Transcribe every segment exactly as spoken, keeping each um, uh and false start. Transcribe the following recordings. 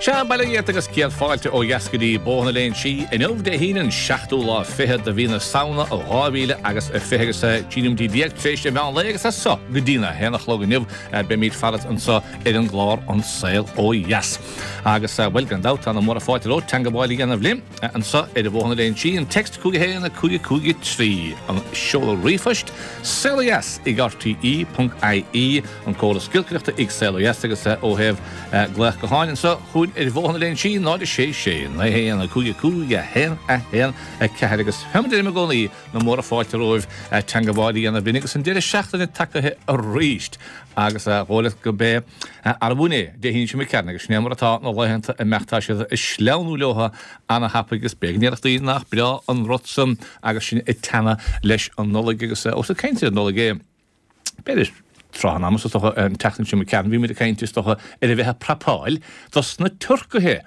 Sea, bail ó Dhia ort agus céad fáilte ó dheas go dtí Bóthar na Léinsí inniu Dé hAoine an seachtú lá fichead de mhí na Samhna dhá mhíle agus a fiche agus trí nóiméad déag tar éis an mheán lae agus as seo go dtí a haon a chlog inniu beimid farat anseo ar an gclár An Saol Ó Dheas. Agus bhuel gan dabht tá na múra fáilte romhat teangmháil a dhéanamh linn anseo ar Bhóthar na Léinsí, an text cúig a haon a cúig a cúig a trí, an seoladh ríomhphoist saolodheas ag rte ponc ie, an córas giolcaireachta ag Saol Ó Dheas agus ó thaobh glaoch gutháin anseo chugainn ar Bhóthar na Léinsí, náid a sé sé, naoi haon, cúig cúig, a haon, a haon, a ceathair agus fé mar a deirim i gcónaí na móra fáilte romhaibh teangmháil a dhéanamh linn agus an deireadh seachtaine tagaithe arís agus a dhóigh leat go b'é arbh in é Dé hAoine seo imigh tharainn agus sin é mar atá na laethanta ag imeacht tá siad ag sleamhnú leo ana-thapaidh agus b'éigean iarrachtaí nach breá an rud san agus sinn ag teannadh leis an Nollaig agus ós ag caint ar an Nollaig é b'fhéidir tráth an ama is dócha an tseachtain seo imigh tharainn bhí muid ag caint is dócha ar a bheith ag prapáil dos na turcaithe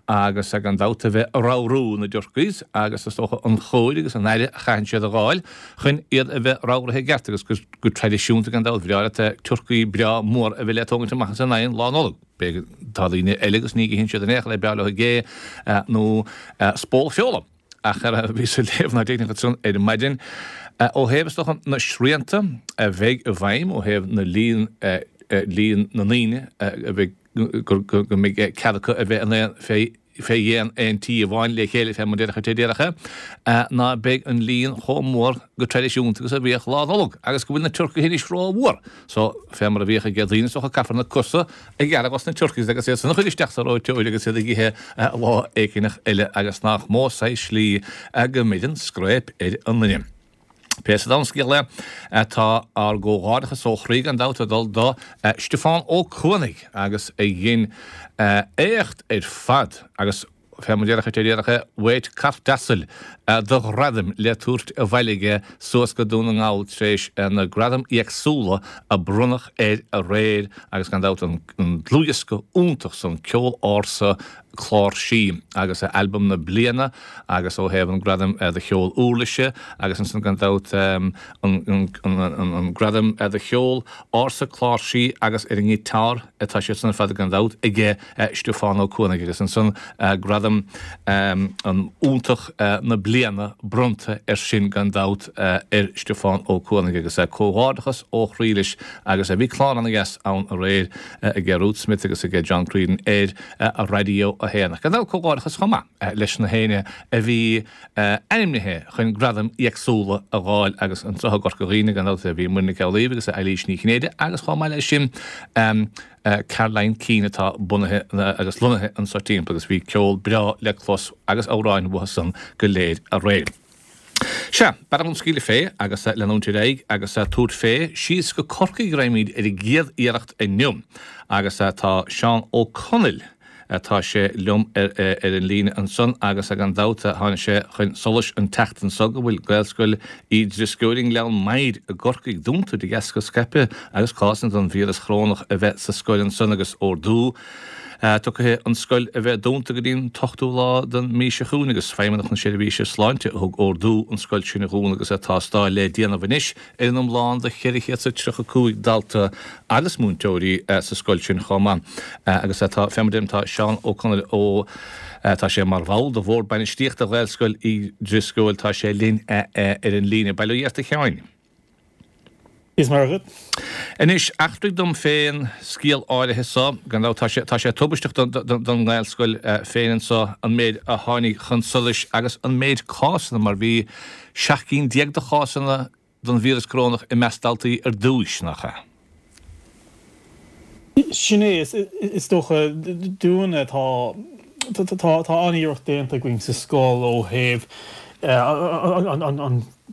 agus gan dabht a bheith ag ramhrú na dturkeys agus is dócha an chóir agus an aire a chaitheann siad a dh'fháil chun iad a bheith ramhraithe i gceart agus go traidisiúnta gan dabht bhreá leat turcaí breá mór a bheith le tógaint amach as an oigheann Lá Nollag. B'fhéidir tá daoine eile agus ní itheann siad in aon chor é b'fhearr leo gé nó spól feola. Ach ar a bhíos ag léamh ná déarfainn ansan ar maidin, ó thaobh is dócha na srianta a bheidh i bhfeidhm ó thaobh na líon líon na ndaoine a bheidh go go mbeidh cead acu a bheith in aon fé fé dhéin aon tí amháin le chéile fé mar déarfá déarfá ná beidh an líon chomh mór go traidisiúnta agus a bhíodh Lá Nollag agus go bhfuil na turcaithe anois rómhór so fé mar a bhíodh ag daoine is dócha caithfear na cosa a ghearradh dos na turkeys agus iad san a chur isteach sa reoiteoir agus iad ag ithe lá éigineach eile agus nach mó saghas slí go mbeidh an scréip ar an nduine. Pé sa domhan scéal é, tá ár gcomhghairdeachas ó chroí gan dabht ag dul do Stiofán Ó Cuanaigh agus a dhein éacht ar fad agus fé mar déarfá déarfá weight cairt asail de ghradaim le tabhairt abhaile aige suas go Dún na nGall tar éis na gradaim éagsúla a bronnadh air aréir agus gan dabht an dlúthdhiosca iontach san Ceol Ársa Cláirsí agus Albam na Bliana agus ó thaobh an gradam do cheol uirlise agus ansan gan dabht an gradam do cheol ársa cláirsí agus ar an ngiotár atá siad san ar fad gan dabht aige Stiofán Ó Cuanaigh agus ansan gradam an iontach na bliana bronnta air sin gan dabht ar Stiofán Ó Cuanaigh agus comhghairdeachas ó chroí leis agus bhí clár ana-dheas ann aréir aige Ruth Smith agus aige John Creedon ar Raidió a haon. Ach gan dabht comhghairdeachas chomh maith leis na héinne a bhí ainmnithe chun gradaim éagsúla a dh'fháil agus anseo i gCorca Dhuibhne gan dabht bhí Muireann Nic Amhlaoibh agus Eilís Ní Chinnéide agus chomh maith leis sin Caroline Keane atá bunaithe agus lonnaithe anseo timpeall agus bhí ceol breá le clos agus amhráin uathu san go léir aréir. Sea, b'fhearr dom scaoileadh fé agus leanúint ar aghaidh agus tabhairt fé síos go Corcaigh raghaimid ar an gcéad iarracht inniu agus tá Seán Ó Conaill, tá sé liom ar an líne ansan agus gan dabht tháinig sé chun solais an tseachtain seo go bhfuil Gaelscoil Uí Drisceoil i nGleann Maghair i gCorcaigh dúnta de dheasca scaipeadh agus cásanna den víreas chorónach a bheith sa scoil ansan agus ordú tugtha an scoil a bheith dúnta go dtí an t-ochtú lá den mhí seo chugainn agus Feidhmeannacht na Seirbhíse Sláinte a thug ordú an scoil sin a dhúnadh agus tástáil le déanamh anois ar an iomlán de cheithre chéad is a tríocha cúig dalta agus múinteoirí sa scoil sin chomh maith agus tá, fé mar a deirim, tá Seán Ó Conaill ó tá sé mar bhall de Bhord Bainistíochta Ghaelscoil Uí Drisceoil, tá sé linn ar an líne. Bail ó Dhia ort a Sheáin. Is maith agat. Anois, eachtraigh dom fén scéal áirithe so, gan dabht tá sé, tá sé tubaisteach don, don, don nGaelscoil féin anso an méid a tháinig chun solais agus an méid cásanna mar bhí seacht gcinn déag de chásanna don víreas corónach i measc daltaí ar dtúis, nach ea? Sin é, is dócha, dúinne, tá, tá an-iarracht déanta againn sa scoil ó thaobh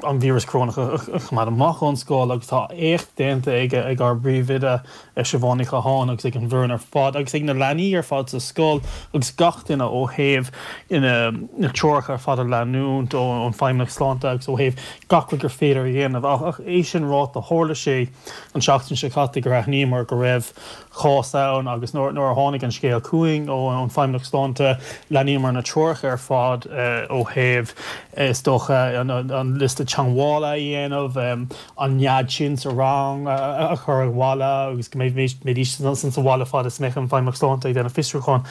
an víreas corónach a choimeád amach ón scoil agus tá éacht déanta ag ag ár bpríomhoide Siobhán Ní Chatháin agus ag an bhfoireann ar fad agus ag na leanaí ar fad sa scoil agus gach duine ó thaobh na treoracha ar fad a leanúint ón Feidhmeannacht Sláinte agus ó thaobh gach rud gur féidir a dhéanamh. Ach é sin ráite, tharla sé an tseachtain seo caite gur aithníomar go raibh cás ann agus nuair a tháinig an scéal chugainn ón Feidhmeannacht Sláinte, leanaíomar na treoracha ar fad ó thaobh, is dócha, an liosta liosta teagmhála a dhéanamh, an nead sin sa rang a chur abhaile agus go mbeidís sa bhaile fad is a mbeadh an Feidhmeannacht Sláinte ag déanamh fiosrúcháin.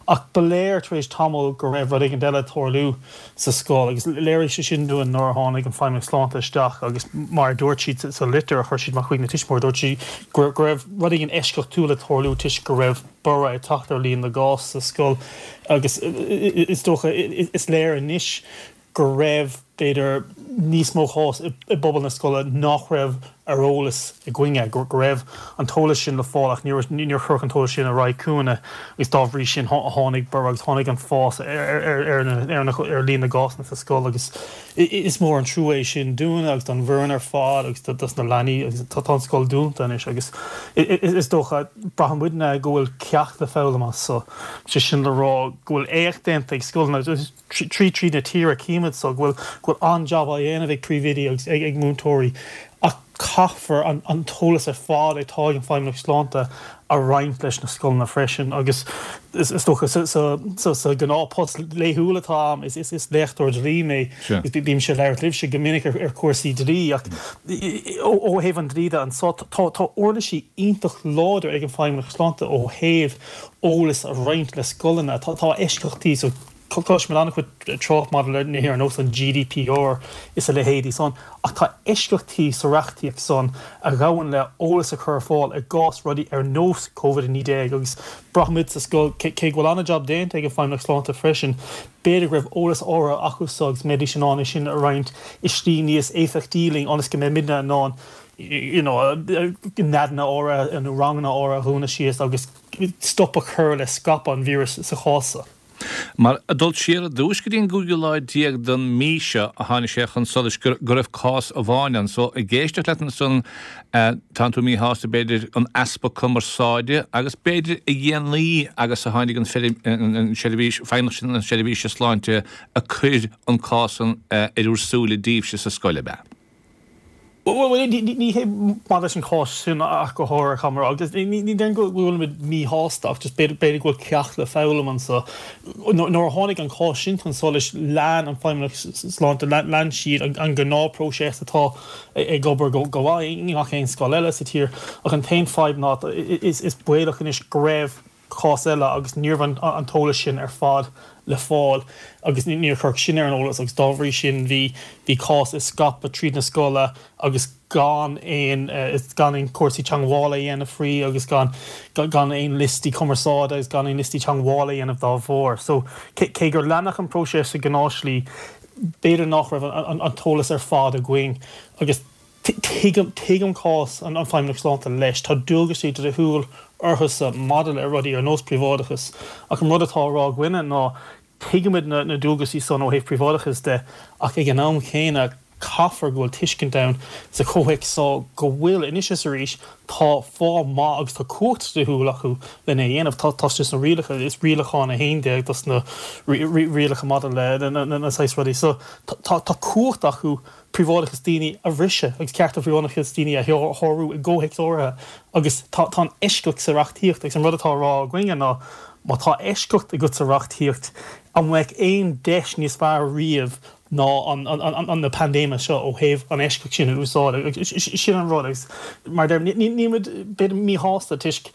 Ach ba léir tar éis tamaill go raibh rud éigin eile ag tarlú sa scoil agus léirigh sé sin dúinn nuair a tháinig an Feidhmeannacht Sláinte isteach agus mar a dúirt siad sa litir a chuir siad amach chuig na tuismitheoirí, dúirt siad go raibh rud éigin eisceachtúil ag tarlú toisc go raibh borradh ag teacht ar líon na gcás sa scoil agus is dócha is léir anois go raibh, b'fhéidir, níos mó cás i bpobal na scoile nach raibh ar eolas againne, go raibh an t-eolas sin le fáil ach níor cuireadh an t-eolas sin ar aghaidh chugainne agus dá bhrí sin tháinig borradh agus tháinig an fás ar líon na gcásanna sa scoil agus is mór an trua é sin dúinne agus don bhfoireann ar fad agus dos na leanaí agus tá an scoil dúnta anois agus is dócha, braitheann muidne go bhfuil ceacht le foghlaim as so, sé sin le rá go bhfuil éacht déanta ag scoileanna. trí tríd na tíre címid so go bhfuil go bhfuil an-jab á dhéanamh ag príomhoidí agus ag ag múinteoirí ach caithfear an an t-eolas ar fad atá ag an Feidhmeannacht Sláinte a roinnt leis na scoileanna freisin agus is is dócha sa sa sa sa ghnáthphost laethúil atá a'm is is is léachtóir dlí mé is bímse ag labhairt libhse go minic ar ar chúrsaí dlí ach ó ó thaobh an dlí de anso tá tá uirlisí iontach láidir ag an Feidhmeannacht Sláinte ó thaobh eolas a roinnt le scoileanna tá tá eisceachtaí so Cloisimid an-chuid trácht maidir le nithe ar nós an GDPR is a leithéidí san, ach tá eisceachtaí sa reachtaíocht san a ghabhann le eolas a chur ar fáil i gcás rudaí ar nós Covid a naoi déag agus braithimid sa scoil, cé go bhfuil an-jab déanta ag an Feidhmeannacht Sláinte freisin, b'fhéidir go raibh eolas áirithe acu so agus mbeidís in ann é sin a roinnt i slí níos éifeachtaí linn ionas go mbeimidne in ann you know neadanna áirithe nó ranganna áirithe a dhúnadh síos agus stop a chur le scaipeadh an víris sa chás so. Mar ag dul siar ar dtúis go dtí an cúigiú lá déag den mí seo a tháinig sé chun solais go raibh cás amháin ann. So, ag éisteacht leat ansan, tánn tú míshásta, b'fhéidir, an easpa cumarsáide agus b'fhéidir a dhéanaí agus a tháinig an seirbhís, Feidhmeannacht na Seirbhíse Sláinte a chuir an cás san ar bhur súile daoibhse sa scoil, ab ea? Bhuel, ní hé maidir leis an chás sin ach go háirithe, caithfidh mé a rá, agus ní déarfainn go bhfuilimid míshásta ach just b'fhéidir go bhfuil ceacht le foghlaim anseo. Nuair a tháinig an cás sin chun solais, lean an Feidhmeannacht Sláinte, lean siad an gnáthphróiseas atá ag obair go maith i ngach aon scoil eile sa tír ach an t-aon fadhb ná is baolach anois go raibh cás eile agus ní raibh an t-eolas sin ar fad le fáil agus níor cuireadh sin ar an eolas agus dá bhrí sin bhí bhí cás ag scaipeadh tríd na scoile agus gan aon gan aon cúrsaí teagmhála a dhéanamh faoi agus gan gan aon liostaí cumarsáide agus gan aon liostaí teagmhála a dhéanamh dá bharr. So cé gur leanadh an próiseas sa ghnáthshlí b'fhéidir nach raibh an an t-eolas ar fad againn agus Tuigim, tuigim cás an Feidhmeannacht Sláinte leis. Tá dualgaisí dlíthiúil orthusa maidir le rudaí ar nós príobháideachas, ach an rud atá á rá againne ná tuigimid na dualgaisí san ó thaobh príobháideachais de, ach ag an am chéanna caithfear go bhfuil tuiscint ann sa chomhthéacs so go bhfuil, anois is arís, tá fáth maith agus tá cumhacht dlíthiúil acu lena dhéanamh. Tá, tá sé sna rialacha, is Rialachán a haon déag dos na rialacha maidir le na saghas rudaí so. Tá, tá cumhacht acu príobháideachas daoine a bhriseadh agus cearta príobháideachas daoine a shárú i gcomhthéacs áirithe agus tá an eisceacht sa reachtaíocht agus an rud atá á rá againne ná má tá eisceacht agat sa reachtaíocht an mbeadh aon deis níos fearr riamh ná an na paindéime seo ó thaobh an eisceacht sin a úsáid agus sin an rud agus mar a deirim nílimid b'fhéidir míshásta toisc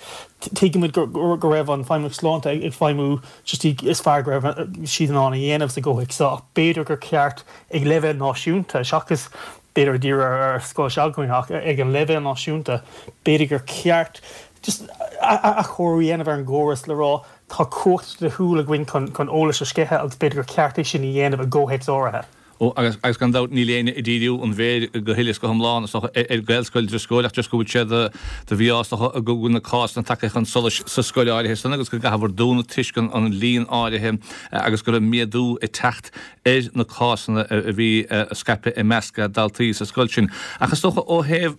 tuigimid go raibh an Feidhmeannacht Sláinte ag feidhmiú sa tslí is fearr go raibh siad in ann a dhéanamh sa gcomhthéacs seo ach b'fhéidir gur ceart ag leibhéal náisiúnta, seachas b'fhéidir ag díriú ar ar scoil s'againne ach ag an leibhéal náisiúnta, b'fhéidir gur ceart just athchóiriú a dhéanamh ar an gcóras le rá tá cumhacht dlíthiúil againn chun chun eolas a sceitheadh agus b'fhéidir gur ceart é sin a dhéanamh i gcomhthéacs áirithe. Ó, agus, agus gan dabht níl éinne ag díriú an mhéir go huile is go hiomlán, is dócha, ar Ghaelscoil Drisceoil ach just go bhfuil sé de, de mhí-ádh, is dócha, go bhfuil na cásanna tagtha chun solais sa scoil áirithe san agus go gcaithfear dúnadh toisc an, an líon áirithe agus go raibh méadú ag teacht ar na cásanna a bhí ag scaipeadh i measc daltaí sa scoil sin. Ach is dócha ó thaobh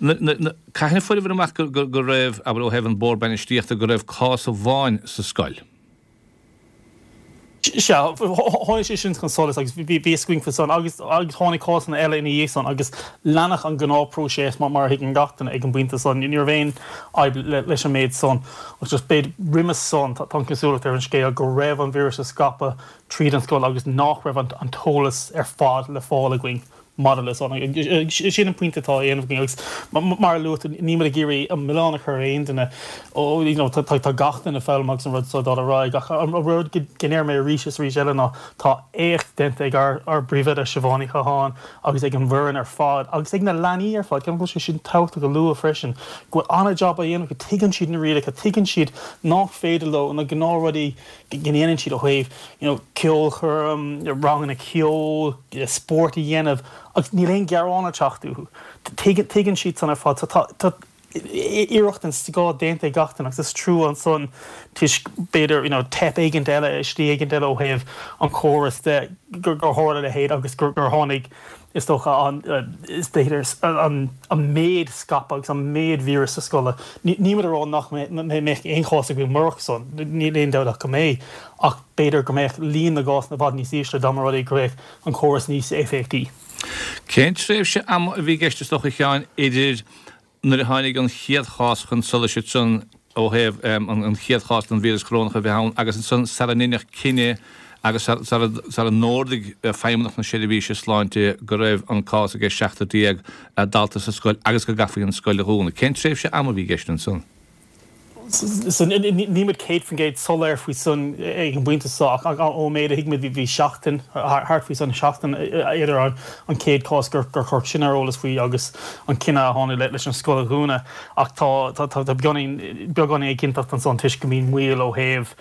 na, na, na, cathain a fuaireabhair amach go, go, go raibh, abair ó thaobh an Bord Bainistíochta, go raibh cás amháin sa scoil? Sea, tháinig sé sin chun solais agus bhí fhios againn faoi san agus agus tháinig cásanna eile ina dhiaidh san agus leanadh an gnáthphróiseas mar a thuigeann gach duine ag an bpointe san. Ní raibh aon fhadhb leis an méid san ach just b'fhéidir roimhe san tá an chosúlacht ar an scéal go raibh an víreas ag scaipeadh tríd an scoil agus nach raibh an t-eolas ar fad le fáil againn. maidir le san. Sin an pointe atá á dhéanamh againn agus mar a luaigh tú, níl muid ag iarraidh an milleán a chur ar aon duine. Ó, you know, tá tá gach duine ag foghlaim agus an rud seo ag dul ar aghaidh ach an rud go ndeir mé arís is arís eile ná tá éacht déanta ag ár ár bpríomhoide Siobhán Ní Chatháin agus ag an bhfoireann ar fad agus ag na leanaí ar fad, ceapaim go bhfuil sé sin tábhachtach a lua freisin, go bhfuil an-jab á dhéanamh acu, tuigeann siad na rialacha, tuigeann siad nach féidir leo na gnáthrudaí go ndéanann siad ó thaobh you know ceolchoirm, ranganna ceoil, spórt a dhéanamh agus níl aon ghearán ag teacht uathu. Tuigeann siad san ar fad. So tá tá iarracht den scoth déanta ag gach duine agus is trua ansan toisc b'fhéidir you know teip éigint eile i slí éigint eile ó thaobh an chórais de gur gur tharla a leithéid agus gur gur tháinig is dócha an is b'fhéidir an an méid scaipeadh agus an méid víreas sa scoil. Níl muid ag rá nach mbeadh aon chás againn murach san, níl aon dabht ach go mbeidh, ach b'fhéidir go mbeadh líon na gcásanna i bhfad níos ísle dá mba rud é go raibh an córas níos éifeachtaí. Cén tréimhse ama a bhí i gceist is dócha a Sheáin idir nuair a tháinig an chéad chás chun solais ansan ó thaobh an chéad chás den víreas corónach a bheith ann agus ansan sara ndeineadh cinneadh agus sara n-ordaigh Feidhmeannacht na Seirbhíse Sláinte go raibh an cás ag seachtar déag dalta sa scoil agus go gcaithfí an scoil a dhúnadh. Cén tréimhse ama a bhí i gceist ansan? Níl muid céad faoin gcéad soiléir faoi san ag an bpointe seo ach ón méid a thuigimid bhí seachtain, thart faoi san, seachtain idir an chéad chás gur cuireadh sinn ar eolas faoi agus an cinneadh a tháinig leis an scoil a dhúnadh ach tá tá beagáinín beagán éiginnteacht ansan toisc go mbíonn moill ó thaobh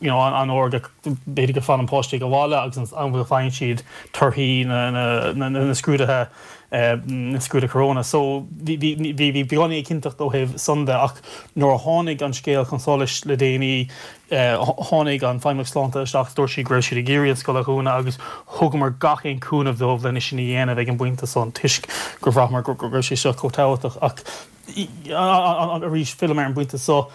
you know an uair go b'fhéidir go fanann páistí ag baile agus an am go bhfaigheann siad torthaí na na na scrúduithe na scrúduithe corona. So bhí bhí bhí bhí beagáinín éiginnteacht ó thaobh san de ach nuair a tháinig an scéal chun solais le déanaí tháinig an Feidhmeannacht Sláinte isteach dúirt siad go raibh siad ag iarraidh an scoil a dhúnadh agus thugamar gach aon cúnamh dóibh lena sin a dhéanamh ag an bpointe san toisc gur bhraitheamar go raibh sé seo chomh tábhachtach ach arís fillim ar an bpointe seo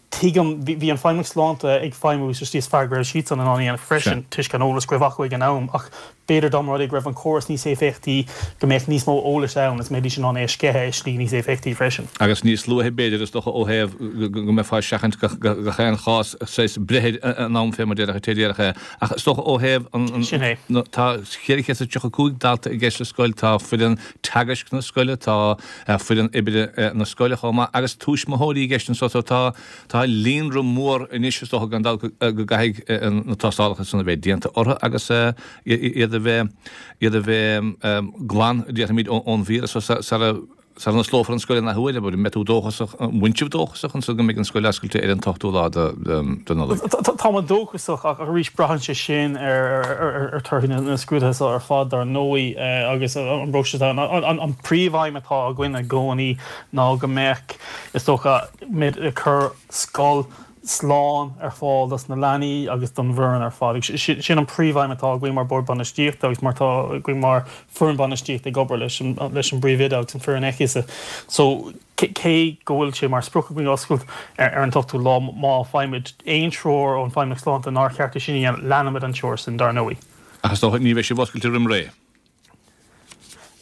Tuigim, bhí an Feidhmeannacht Sláinte ag feidhmiú sa tslí is fearr go raibh siadsan in ann a dhéanamh freisin toisc an eolas go raibh acu ag an am ach b'fhéidir dá mba rud é go raibh an córas níos éifeachtaí go mbeadh níos mó eolais ann is mbeidís in ann é a sceitheadh i slí níos éifeachtaí freisin. Agus níos luaithe b'fhéidir is dócha ó thaobh go mbeifeá ag seachaint gach aon chás saghas breith in am fé mar déarfá té déarfadh é ach is dócha ó thaobh an Sin é. tá ceithre chéad is tríocha cúig dalta i gceist sa scoil, tá foireann teagaisc na scoile, tá foireann oibre na scoile chomh maith agus tuismitheoirí i gceist anso so tá Tá líonra mór anois is dócha gan dabht go gcaithfidh na tástálacha san a bheith déanta orthu agus iad a bheith iad a bheith glan, déarfaimid, ón víreas sara sara n-osclófar an scoil an athuair. An mbeidh tú dóchasach, an bhfuil sibh dóchasach ansan go mbeidh an scoil oscailte ar an t-ochtú lá de Nollaig? Tá muid dóchasach ach arís braitheann sé sin ar torthaí na scrúduithe seo ar fad dar ndóigh agus an bpróiseas atá ann. An príomhaidhm atá againn i gcónaí ná go mbeadh, is dócha, muid ag cur scoil slán ar fáil dos na leanaí agus don bhfoireann ar fad. Sin an príomhaidhm atá againn mar Bhord Bainistíochta agus mar atá againn mar foireann bainistíochta ag obair leis an leis an bpríomhoide agus an foireann aici. So cé go bhfuil sé mar sprioc againn oscailt ar an t-ochtú lá, má faighimid aon treoir ón Feidhmeannacht Sláinte nár cheart é sin a dhéanamh, leanfaimid an treoir sin dar ndóigh. Ach is dócha ní bheidh sibh oscailte roim ré.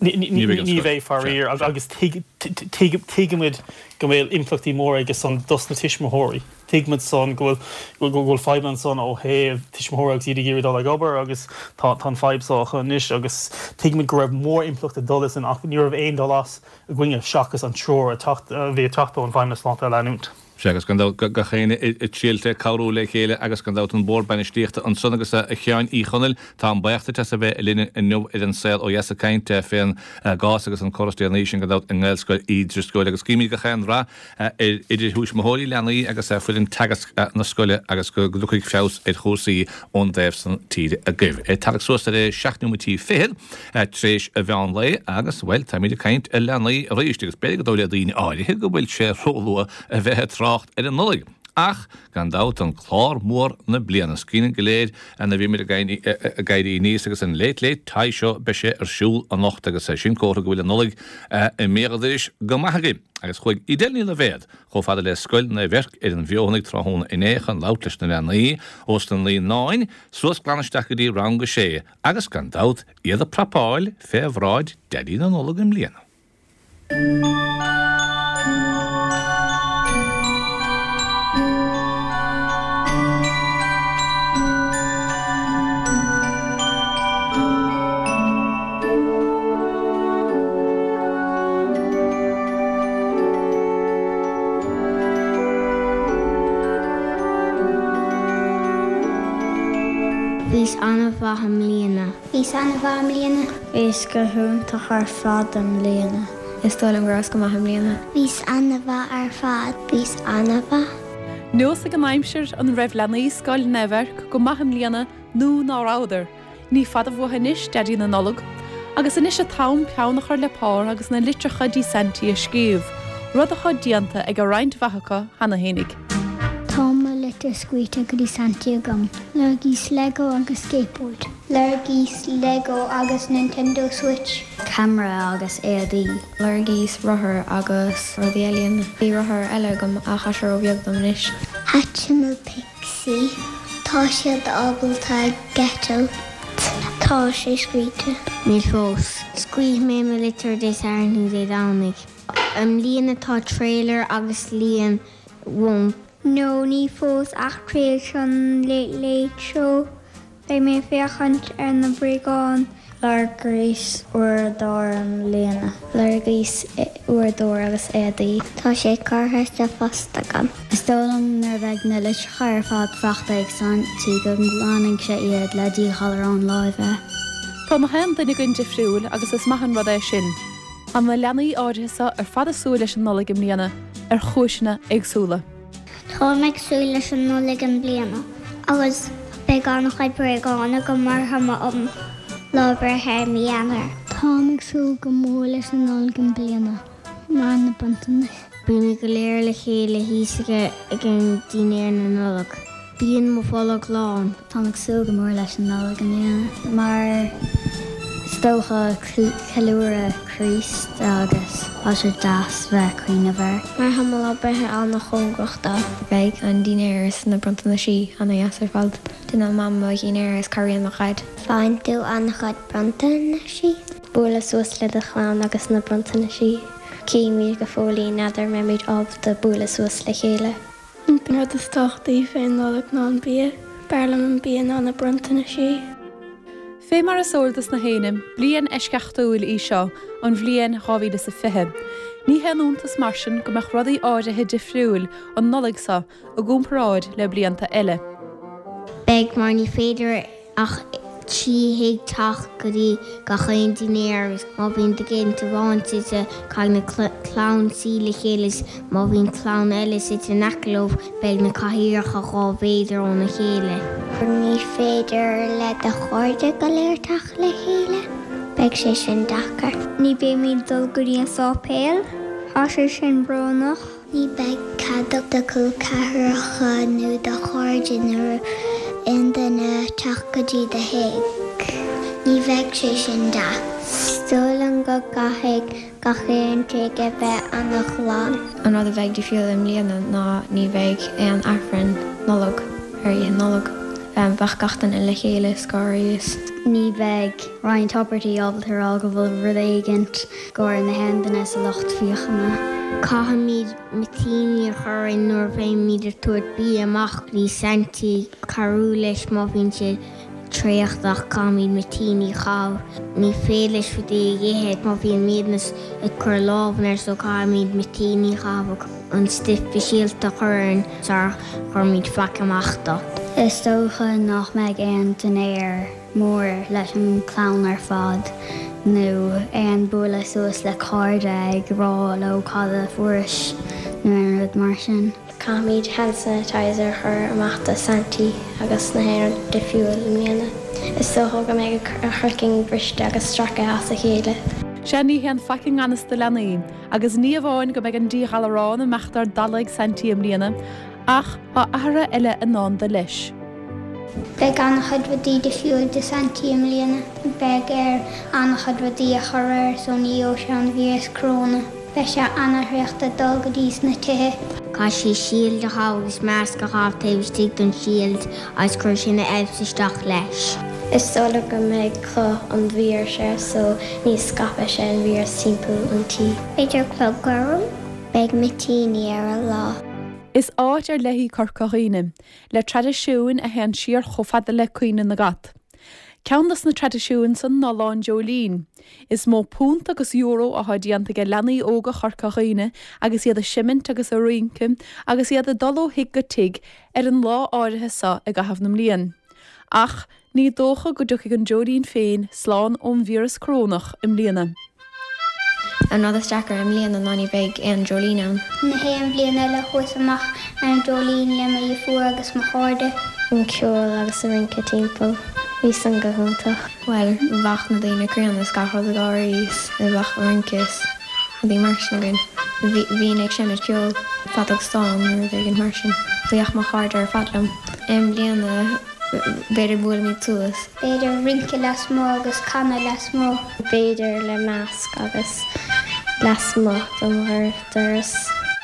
Ní bheidh, faraor, agus tuigimid go bhfuil impleachtaí móra aige san dos na tuismitheoirí. Tuigimid san go bhfuil go bhfuil fadhbanna ansan ó thaobh tuismitheoirí agus iad ag iarraidh dul ag obair agus tá an fadhb seo acu anois agus tuigimid go raibh mór-impleacht ag dul leis sin ach ní raibh aon dul as againne seachas an treoir a bhí ag teacht ón bhFeidhmeannas Sláinte a leanúint. Sea, agus gan dabht gach éinne ag triail cabhrú le chéile agus gan dabht an Bord Bainistíochta ansan agus a Sheáin Uí Chonaill, táim buíoch duit as a bheith linn inniu ar An Saol Ó Dheas ag caint fén gcás agus an cor is déanaí sin gan dabht i nGaelscoil Uí Drisceoil agus guímid gach aon rath ar idir thuismitheoirí, leanaí agus foireann teagasc na scoile agus go dtiocfaidh feabhas ar chúrsaí ón dtaobh san tíre agaibh. Ag tarrac suas ar a seacht nóimeataí fichead tar éis a mheán lae agus, bhuel, táimid ag caint ar leanaí arís agus b'fhéidir gur dóigh le daoine áirithe go bhfuil sé róluath a bheith ag trácht ar an Nollaig. Ach, gan dabht, an clár mór na bliana, is cuimhin go léir nuair a bhí muid ag éirí aníos agus an Late Late Toy Show, beidh sé ar siúl anocht agus sin comhartha go bhfuil an Nollaig i mbéal an dorais go maith againn. Agus chuaigh Edel Ní Loibhéad chomh fada le Scoil Naomh Eirc ar an bhFeothanaigh tráthnóna inné chun labhairt leis na leanaí ós na naíonáin suas glan isteach go dtí rang a sé agus gan dabht iad ag prapáil fé bhráid Daidí na Nollag i mbliana. Bhíos an-mhaith i mbliana. Bhíos an-mhaith i mbliana. Bhíos go hiontach ar fad i mbliana. Is dóigh liom go rabhas go maith i mbliana. Bhíos an-mhaith ar fad. Bhíos an-mhaith. Nós ag an aimsir an raibh leanaí Scoil Naomh Eirc go maith i mbliana nó ná rabhadar. Ní fada uainn anois Daidí na Nollag, agus anois an t-am peann a chur le pár agus na litreacha dtí Saintí a scríobh, rud atá déanta ag roinnt mhaith acu cheana fhéinig. Tá mo litir scríte go dtí Saintí agam. Lorgaíos Lego agus skateboard. Lorgaíos Lego agus Nintendo Switch. Camera agus éadaí. Lorgaíos rothar agus rudaí eile. Bhí rothar eile agam ach tá sé róbheag dom anois. Hatchimal Pixie. Tá siad ábalta eitilt. Tá sé scríte. Níl fós. Scríobh mé mo litir Dé Sathairn nó Dé Domhnaigh. I mbliana tá trailer agus líon won't. No ní fós ach tríis an Late Late Show. Beidh mé féachaint ar na bréagáin. Lorgaíos uaireadóir i mbliana. Lorgaíos uaireadóir agus éadaí. Tá sé curtha sa phost agam. Is dóigh liom nuair a bheidh na litreacha ar fad faighte ag Saintí go nglanfaidh sé iad le díghalarán láimhe. Tá gach aon duine againn difriúil agus is maith an rud é sin. Tá na leanaí áirithe seo ar fad ag súil leis an Nollaig i mbliana ar chúiseanna éagsúla. Táim ag súil leis an Nollaig i mbliana, agus beidh an-chuid bréagán agam mar tá mo lá breithe i mí Eanáir. Táim ag súil go mór leis an Nollaig i mbliana, mar na bronntanais. Bímid go léir le chéile thíos ag an dinnéar na Nollag. Bíonn mo bholg lán. Táim ag súil go mór leis an Nollaig i mbliana, mar is dócha ceiliúradh Críost agus tá sé deas bheith cuimhneamh air. Mar tá mo lá breithe an-chóngarach dó. Beidh an dinnéar is na bronntanaisí an-deas ar fad. Déanann Mam mo dhinnéar is cabhraíonn mo dhaid. Faigheann tú an-chuid bronntanaisí. Bualadh suas le do chlann agus na bronntanaisí. Címid go fóillín n'fheadar mbeimid ábalta bualadh suas le chéile. An rud is tábhachtaí fén Nollaig ná an bia, b'fhearr liom an bia ná na bronntanaisí. Fé mar is eol dos na héinne, bliain eisceachtúil í seo an bhliain dhá mhíle is a fiche. Ní haon iontas mar sin go mbeadh rudaí áirithe difriúil an Nollaig seo i gcomparáid le blianta eile. Beidh mar ní féidir ach trí thigh teacht go dtí gach aon dinnéar agus má bhíonn tigh amháin suite caithfidh na clann suí le chéile is má bhíonn clann eile suite in aice leo beidh na cathaoireacha dhá mhéadar óna chéile. Ní féidir le do chairde go léir teacht le chéile, beidh sé sin deacair. Ní bheimid dul go dtí an sáipéal, tá sé sin brónach. Ní bheidh cead do chol ceathracha nó do chairde nó aon duine teacht go dtí do thigh. Ní bheidh sé sin deas. Is dóigh liom go gcaithfidh gach aon tigh a bheith an-ghlan. An rud a bheidh difriúil i mbliana ná ní bheidh aon Aifreann Nollag ar Oíche Nollag. Bheadh gach duine le chéile is gáirí is. Ní bheidh roinnt abairtí ábalta a rá go bhfuil rud éigint go na haon duine sa lucht féachana. Caithfimid mitíní a chur orainn nuair a bheimid ag tabhairt bia amach go dtí Saintí cabhrú leis má bhíonn sé traochta caithfimid mitíní a chaitheamh. Ní féidir leis rudaí a ithe má bhíonn miadnas ag cur lámh air so caithfimid mitíní a chaitheamh an stuif speisialta a chur orainn sar chuirimid faic amach dó. Is dócha nach mbeidh aon dinnéar mór leis an chlann ar fad nó aon bualadh suas le cairde ag rá leo cad a fuairis nó aon rud mar sin. Caithfimid hand sanitizer a chur amach do Saintí agus na haon rud difriúil i mbliana. Is dócha go mbeidh a chraiceann briste agus stractha as a chéile. Sea ní haon faic i ngan fhios do leanaí, agus ní amháin go mbeidh an díghalarán amach dár dalladh ag Saintí i mbliana, ach tá athruithe eile i ndán dó leis. Beidh an-chuid rudaí difriúil do Saintí i mbliana. Beidh air an-chuid rudaí a chur air so ní gheobhaidh sé an víreas coróna. Beidh sé an-thraochta dul go dtí sna tithe. Caithfidh sé shield a chaitheamh agus masc a chaitheamh taobh istigh den shield agus cuirfidh sé na elves isteach leis. Is dóigh liom go mbeidh cloth an víris air so ní scaipfidh sé an víreas timpeall an tí. B'fhéidir clog gorm? Beidh mitíní air an lá. Is áit ar leith í Corca Dhuibhne, le traidisiúin a théann siar chomh fada le caoineadh na gcat. Ceann dos na traidisiúin san ná Lá an Dreoilín. Is mó punt agus euro atá déanta ag leanaí óga Chorca Dhuibhne agus iad ag seimint agus ag rince agus iad ag dul ó thigh go tigh ar an lá áirithe seo i gcaitheamh na mblian. Ach Ní dócha go dtiocfaidh an dreoilín féin slán ón víreas corónach i mbliana. An rud is deacra i mbliana ná ní bheidh aon dreoilín ann. Na haon bhliain eile chuas amach ar an dreoilín le mo dheirfiúr agus mo chairde. An ceol agus an rince timpeall. Bhí san go hiontach. Bhuel, bheadh na daoine críonna is gach rud ag gáirí is bheadh rince is rudaí mar sin againn. Bhínn ag seinnt ceoil, feadóg stáin nó rud éigin mar sin. Bhíodh mo chairde ar fad liom. I mbliana b'fhéidir buailimid suas. B'fhéidir rince lasmuigh agus canadh lasmuigh. B'fhéidir le masc agus lasmuigh don doras.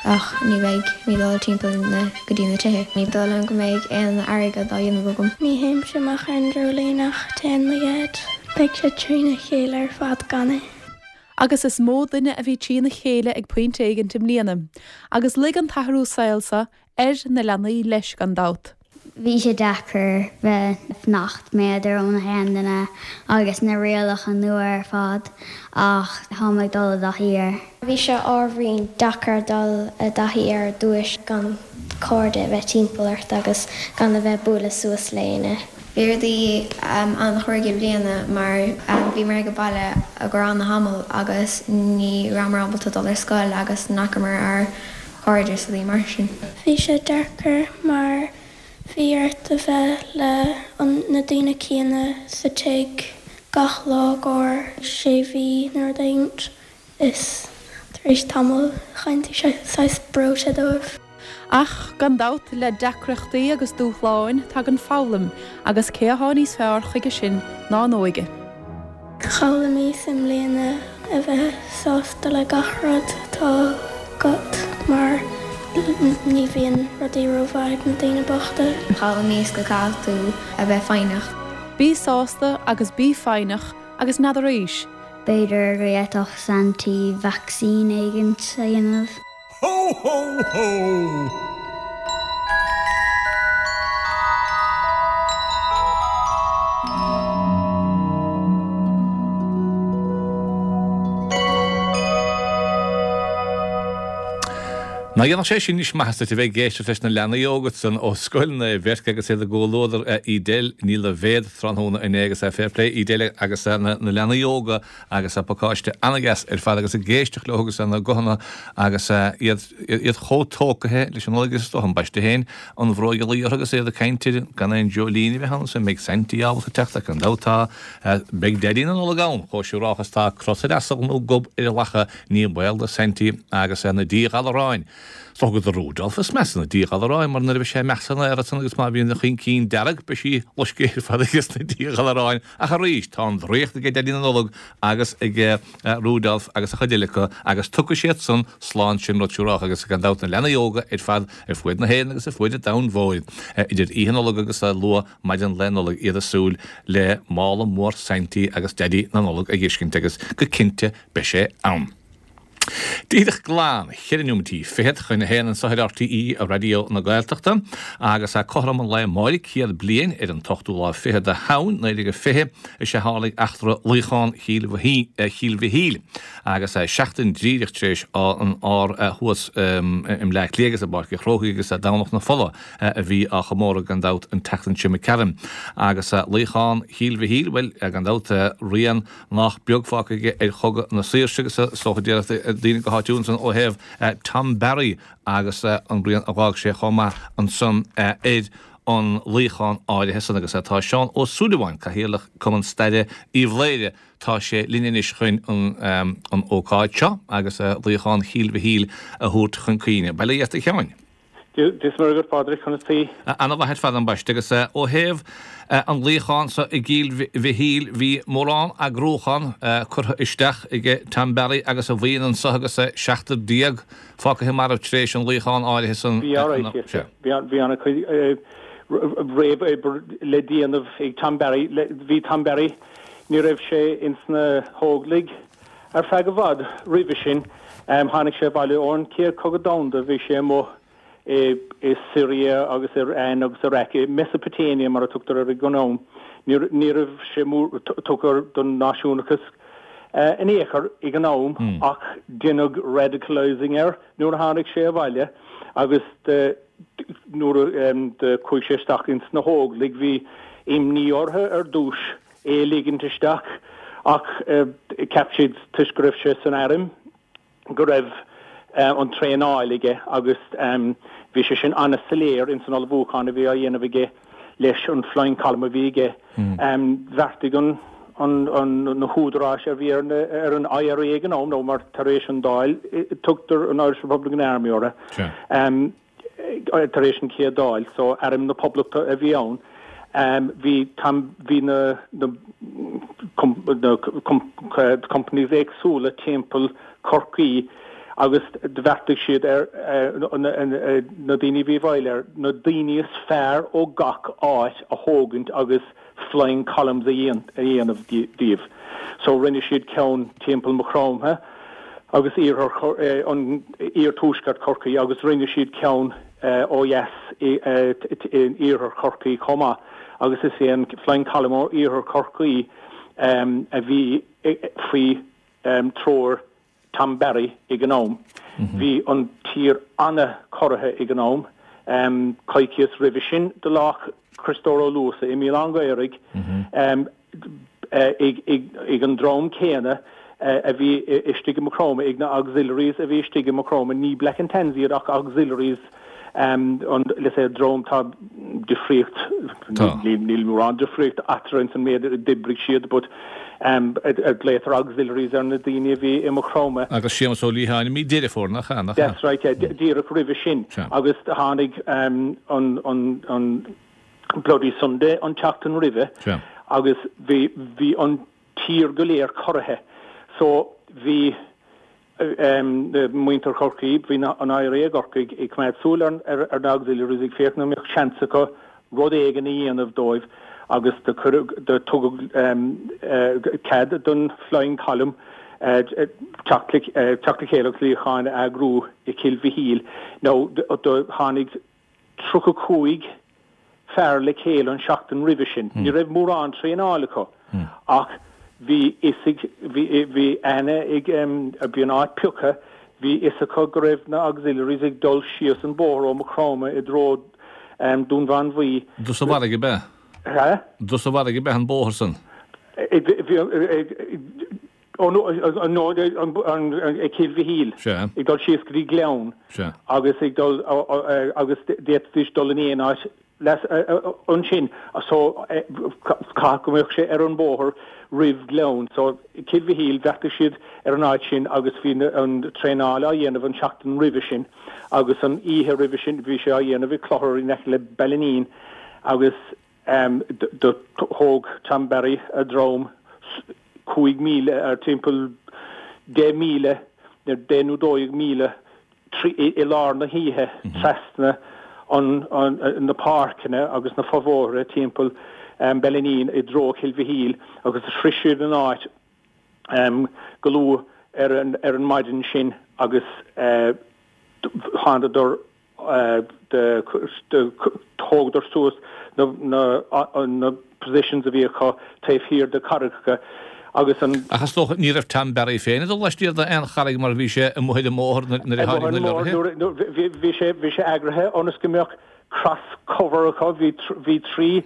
Ach ní bheidh mé dul timpeall na go dtí na tithe. Ní dóigh liom go mbeidh aon airgead á dhéanamh agam. Ní théimse amach ar an dreoilín ach téann mo dhaid. Beidh sé trína chéile ar fad gan é. Agus is mó duine a bhí trína chéile ag pointe éigin i mbliana, agus luigh an t-athrú saoil seo ar na leanaí leis gan dabht. Bhí sé deacair bheith fanacht méadar ó na haon duine agus na rialacha nua ar fad ach táim ag dul i dtaithí air. Bhí sé ábhairín deacair dul i dtaithí ar dtús gan cairde a bheith timpeall ort agus gan a bheith bualadh suas le éinne. Bhí rudaí an-chruaidh i mbliana mar bhíomar ag baile i gcomhair an-tamall agus ní rabhamar ábalta dul ar scoil agus ní fhacamar ár gcairde is rudaí mar sin. Bhí sé deacair mar bhí ort a bheith le na daoine céanna sa tigh gach lá go sé mhí nó rud éigin is tar éis tamaill chaint sé saghas breoite dóibh. Ach gan dabht le deacrachtaí agus dúshláin tagann foghlaim agus cé atá níos fearr chuige sin ná an óige. D'fhoghlaimíos i mbliana a bheith sásta le gach rud atá agat mar ní bhíonn rudaí rómhaith ag na daoine bochta. D'fhoghlaimíos go gcaithfidh tú a bheith foighneach. Bí sásta agus bí foighneach agus n'fheadar arís. B'fhéidir go bhféadfadh Santaí vacsaín éigin a dhéanamh. Ho, ho, ho! Nach dhéanfadh sé sin anois maitheas duit a bheith ag éisteacht leis na leanaí óga san ó Scoil Naomh Bheirce agus iad i gcomhluadar Edel Ní Loibhéad tráthnóna inné agus fair play Edel agus na leanaí óga agus pacáiste an-deas ar fad agus ag éisteacht leo agus na guthanna agus iad iad chomh tógtha leis an Nollaig is dócha ambaiste féin an bhróig a luí orthu agus iad ag caint ar gan aon dreoilín a bheith ann is an mbeidh Saintí ábalta teacht ach gan dabht tá beidh Daidí na Nollag ann chomh siúrálta is tá cros ar asal nó gob ar a lacha ní baol do Saintí agus na díghalaráin. Is dócha do Rudolf is measa na díghalaráin mar nuair a bheidh sé amach san aer ansan agus má bhíonn a chuincín dearg beidh sí loiscthe ar fad aige sna díghalaráin ach arís tá an draíocht ag Daidí na Nollag agus ag Rudolf agus a chuid eile acu agus tiocfaidh siad san slán sin rud siúrálta agus gan dabht na leanaí óga ar fad ar fuaid na hÉireann agus ar fuaid an domhain mhóir idir Oíche Nollag agus luath maidin Lae Nollag iad ag súil le mála mór Saintí agus Daidí na Nollag a dh'fheiscint agus go cinnte beidh sé ann. Díreach glan cheithre neomatí fichead chun a haon anseo ar RTÉ Raidió na Gaeltachta agus cothrom an lae amáireach céad bliain ar an t-ochtú lá fiche de Shamhain naoi déag fiche is ea tharlaigh eachtra luíochán Chill Mhichíl agus seachtain díreach tar éis an ár thuas i mBleá Cliath agus i bPáirc an Chrócaigh agus Domhnach na Fola a bhí á chomóradh gan dabht an tseachtain seo imigh tharainn agus luíochán Chill Mhichíl, bhuel gan dabht rian nach beag fágtha aige ar Chogadh na Saoirse agus is dócha déarfadh daoine go háitiúil ansan ó thaobh Tom Barry agus an rian a dh'fhág sé chomh maith ansan ar an luíochán áirithe san agus tá Seán Ó Súilleabháin, Cathaoirleach Cumann Staire Uíbh Laoghaire, tá sé linn anois chun an ócáid seo agus luíochán Chill Mhichíl a thabhairt chun cuimhne. Bail ó Dhia ort a Sheáin. Dia is Muire dhuit, Pádraig, conas taoi? Ana-mhaith ar fad ambaiste agus ó thaobh an luíocháin so i gCill Mhichíl bhí mórán eagrúchán curtha isteach ag Tom Barry agus a bhuíon anso agus seachtar déag fágtha marbh tar éis an luíocháin áirithe san. Bhí alright, bhí ana-chuid réamhobair le déanamh ag Tom Barry. Bhí Tom Barry, ní raibh sé ins na hÓglaigh ar feadh i bhfad roimhe sin. Tháinig sé abhaile ón Chéad Chogadh Domhanda, bhí sé amuigh i Syria agus Iran agus Iraq, i Mesopotamia mar a tugtar air ag an am. Ní raibh sé mór tugtha don náisiúnachas in aon chor ag an am ach deineadh radicalising air nuair a tháinig sé abhaile agus nuair a chuaigh sé isteach ins na hÓglaigh bhí imní orthu ar dtús é a ligint isteach ach cheap siad toisc go raibh sé san airm go raibh an traenáil aige agus bhí sé sin an-soiléir ins an ullmhúchán a bhí á dhéanamh aige leis an Flying Column a bhí aige. Bheartaigh an an na húdaráis a bhí ar ar an IRA ag an am nó mar tar éis an Dáil tugtar an Irish Republican Army orthu tar éis an chéad Dáil so Arm na Poblachta a bhí ann. Bhí bhí na na companies éagsúla timpeall Chorcaí agus bheartaigh siad ar na daoine a bhí i bhfeighil air, na daoine is fearr ó gach áit a thógaint agus flying columns a dhéanamh díobh. So rinne siad ceann timpeall Maigh Chromtha agus iarthar an iarthuaisceart Chorcaí agus rinne siad ceann ó dheas in iarthar Chorcaí chomh maith agus is é an flying column ó iarthar Chorcaí a bhí faoi treoir Tom Barry ag an am. Bhí an tír an-chorraithe ag an am. Coicíos roimhe sin do laghadh Criostóir Ó Luasa i Míol an Ghaorthaidh ag an dream céanna a bhí istigh i Maigh Chromtha, ag na auxiliaries a bhí istigh i Maigh Chromtha, ní Black and Tans iad ach auxiliaries an let's say dream tá difríocht níl mórán difríocht eatarthu ins an méid a d'oibrigh siad but glaotar auxiliaries ar na daoine a bhí i Maigh Chromtha. Agus Séamus Ó Liatháin i mí Deireadh Fómhair nach ea nach ea? That's right yeah díreach roimhe sin agus tháinig an an an Bloody Sunday an tseachtain roimhe agus bhí bhí an tír go léir corraithe so bhí muintir Chorcaí, bhí an IRA i gCorcaigh ag coimeád súil ar na auxiliaries ag féachaint an mbeadh seans acu rud éigin a dhéanamh dóibh agus do cuireadh, do tugadh cead don Flying Column teacht le chéile agus luíochán a eagrú i Cill Mhichíl. Now do tháinig tríocha cúig fear le chéile an seachtain roimhe sin. Ní raibh mórán traenáil acu ach bhí fhios ag, bhí, bhí aithne ag, bhí an áit pioctha, bhí fhios acu go raibh na auxiliaries ag dul síos an bóthar ó Maigh Chromtha i dtreo Dún Mhánmhaí. Dtus an bharraigh ab ea? Hä? Dtus an bharraigh ab ea an bóthar san? Bhí, ó no, no, ag Cill Mhichíl. Sea. Ag dul síos go dtí Gleann. Sea. Agus ag dul, agus d'fhéadfaidís dul in aon áit ansin so caithfidh go mbeadh sé ar an bóthar roimh Ghleann. So Cill Mhichíl, bheartaigh siad ar an áit sin agus bhí an traenáil á dhéanamh an seachtain roimhe sin agus an oíche roimhe sin bhí sé á dhéanamh i gclochar in aice le Ballineen agus do thóg Tom Barry a dhream cúig míle, timpeall deich míle, deich nó dó dhéag míle i lár na hoíche trasna na páirceanna agus na fobhóithre timpeall Ballineen i dtreo Chill Mhichíl agus shroich siad an áit go luath ar an maidin sin agus thánadar thógadar suas na positions a bhí acu taobh thiar de charraigeacha agus an. Ach is dócha ní raibh Tom Barry féin ag dul laistiar d'aon charraig mar bhí sé amuigh ar an mbóthar nuair a tháinig na lorraithe. Bhí sé bhí sé eagraithe ionas go mbeadh cross cover acu, bhí bhí trí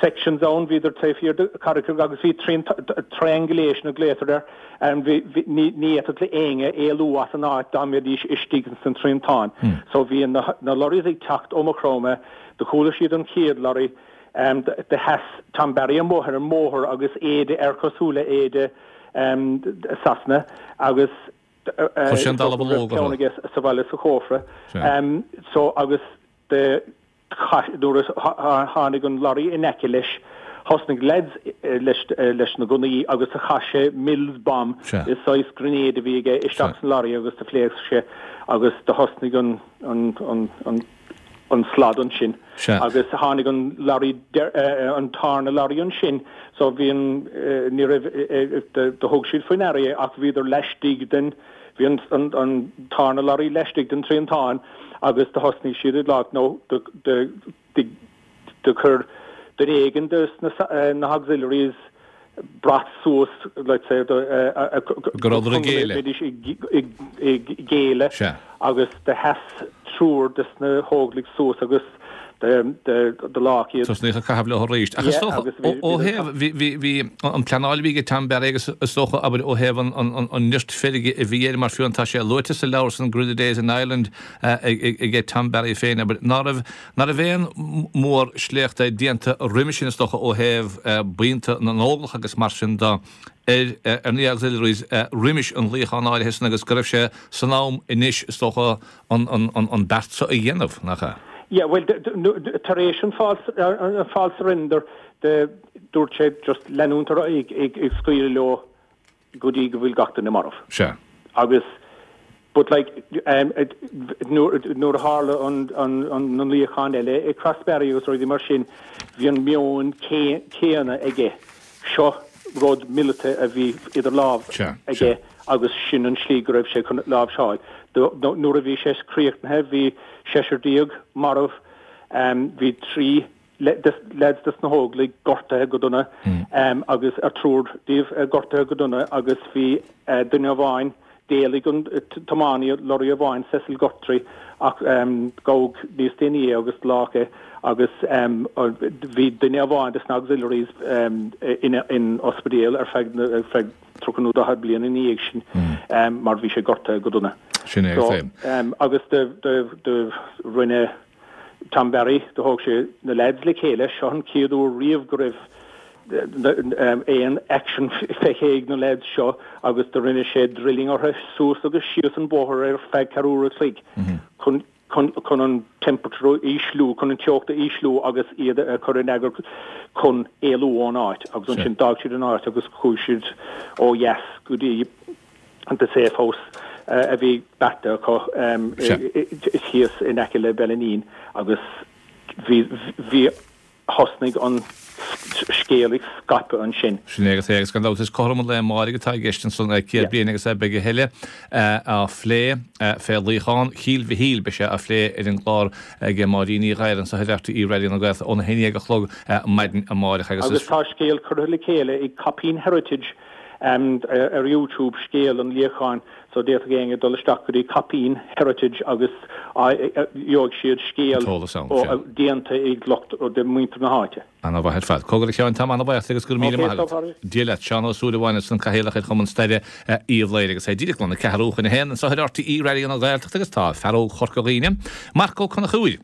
sections ann, bhíodar taobh thiar de charraigeacha agus bhí triangulation a glaotar air, bhí ní ní fhéadfadh le éinne éalú as an áit dá mbeidís istigh ins an triantán. So bhí na na lorries ag teacht ó Maigh Chromtha, do chuala siad an chéad lorry, Do sheas Tom Barry amuigh ar an mbóthar agus éide air cosúil le éide Sasana agus Chuir sé an dallamhullóg orthu. ceann aige sa bhaile sa chófra. So agus do nuair a tháinig an lorry in aice leis thosnaigh leaids leis leis na gunnaí agus do chaith sé Mills bomb, is saghas grenade a bhí aige, isteach san lorry agus do phléasc sé agus do thosnaigh an an an an an slad ansin agus tháinig an lorry an tarna lorry ansin so bhí an ní raibh do thug siad faoi ndeara é ach bhíodar laistigh den bhí an an an tarna lorry laistigh den triantán agus do thosnaigh siad ag glaoch nó do do do do chuir duine éigin de na na auxiliaries brat suas let's say go rabhadar ag géilleadh. mbeidís ag géilleadh agus do sheas triúr de na hóglaigh suas agus do leag iad. Tosnaíodh ag caitheamh leo arís. Ach is dócha, ó thaobh, bhí an pleanáil a bhí ag Tom Barry agus is dócha, abair, ó thaobh an nirt feirge a bhí air, mar fiú tá sé luaite sa leabhar san Guerrilla Days in Ireland ag Tom Barry féin, abair, ná raibh, ná raibh aon mhór-sléachta déanta roimhe sin is dócha ó thaobh buíonta na nÓglach agus mar sin de ar ar na Auxiliaries roimis an luíochán áirithe san agus go raibh sé san am anois is dócha an an beart seo a dhéanamh, nach ea? Yeah, bhuel, tar éis an false surrender dúirt sé just leanúint ar aghaidh ag scaoileadh leo go dtí go bhfuil gach duine marbh. Sea. Agus but like nuair a tharla an na luíocháin eile i Crossbarry agus rudaí mar sin, bhí an meon céanna aige. Seo rud míleata a bhí idir lámh aige agus sin an slí go raibh sé chun láimhseáil. Nuair a bhí sé críochnaithe bhí seisear déag marbh, bhí trí leaids des na hÓglaigh gortaithe go dona agus ar triúr díobh gortaithe go dona agus bhí duine amháin, d'éalaigh an tiománaí lorry amháin, Cecil Guthrie, ach gabhadh níos déanaí é agus leag é agus bhí duine amháin des na Auxiliaries in ospidéal ar feadh feadh tríocha nó daichead bliain ina dhiaidh sin mar bhí sé gortaithe go dona. Sin é féin. Agus do rinne Tom Barry, do thóg sé na leaids le chéile, seo an chéad uair riamh go raibh aon action feicthe ag na leaids seo agus do rinne sé drilling orthu suas agus síos an bóthar ar feadh ceathrú uair a chloig chun chun an temperature a ísliú, chun an teocht a ísliú agus iad a chur in eagar chun éalú ón áit agus ansin d'fhág siad an áit agus chuaigh siad ó dheas go dtí an the safe house a bhí beartaithe acu thíos in aice le Ballineen agus bhí bhí thosnaigh an scéal ag scaipeadh ansin. Sin é agus é agus gan dabht is cothrom an lae amáirigh atá i gceist ansan céad bliain agus beidh a thuilleadh á phlé fé luíochán Chill Mhichíl. Beidh sé á phlé ar an gclár ag Máirín Ní Ghadhra anso ar RTÉ Raidió na Gaeltachta óna haon déag a chlog maidin amáireach agus is. Agus tá scéal curtha le chéile ag Coppeen Heritage ar YouTube, scéal an luíocháin, so d'fhéadfadh éinne dul isteach go dtí Coppeen Heritage agus gheobhaidh siad scéal déanta ag lucht de mhuintir na háite. Ana-mhaith ar fad. Cogar a Sheáin, táim ana-bhaoch agus go raibh míle maith agat. Dia leat. Seán Ó Súilleabháin ansan Cathaoirleach ar Chumann Staire Uíbh Laoghaire agus é díreach go na ceathrú chun a haon anseo ar RTÉ Raidió na Gaeltachta agus tá fear óg Chorca Dhuibhne, Marc Ó Conchúir,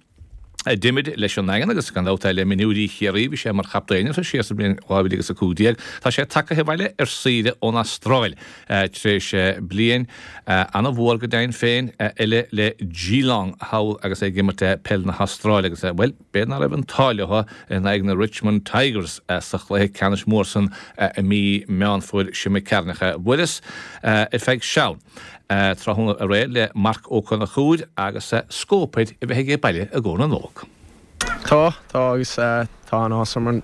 a d'imir leis an nDaingean agus gan dabht le mionúirí Chiarraí, bhí sé mar chaptaen orthu siar sa bhliain dhá mhíle agus a cúig déag. Tá sé tagtha abhaile ar saoire ón Astráil tar éis bliain ana-mhór go deimhin féin eile le Geelong thall agus é ag imirt peil na hAstráile agus, bhuel, b'fhéidir nach raibh an t-ádh leo in aghaidh na Richmond Tigers sa chluiche ceannais mór san i mí Meán Fómhair seo imigh tharainn. Bhuaileas ar feadh seal. Tráthnóna aréir le Marc Ó Conchúir agus scóip air a bheith aige baile i gcomhair na Nollag. Tá, tá agus tá an-áthas orm an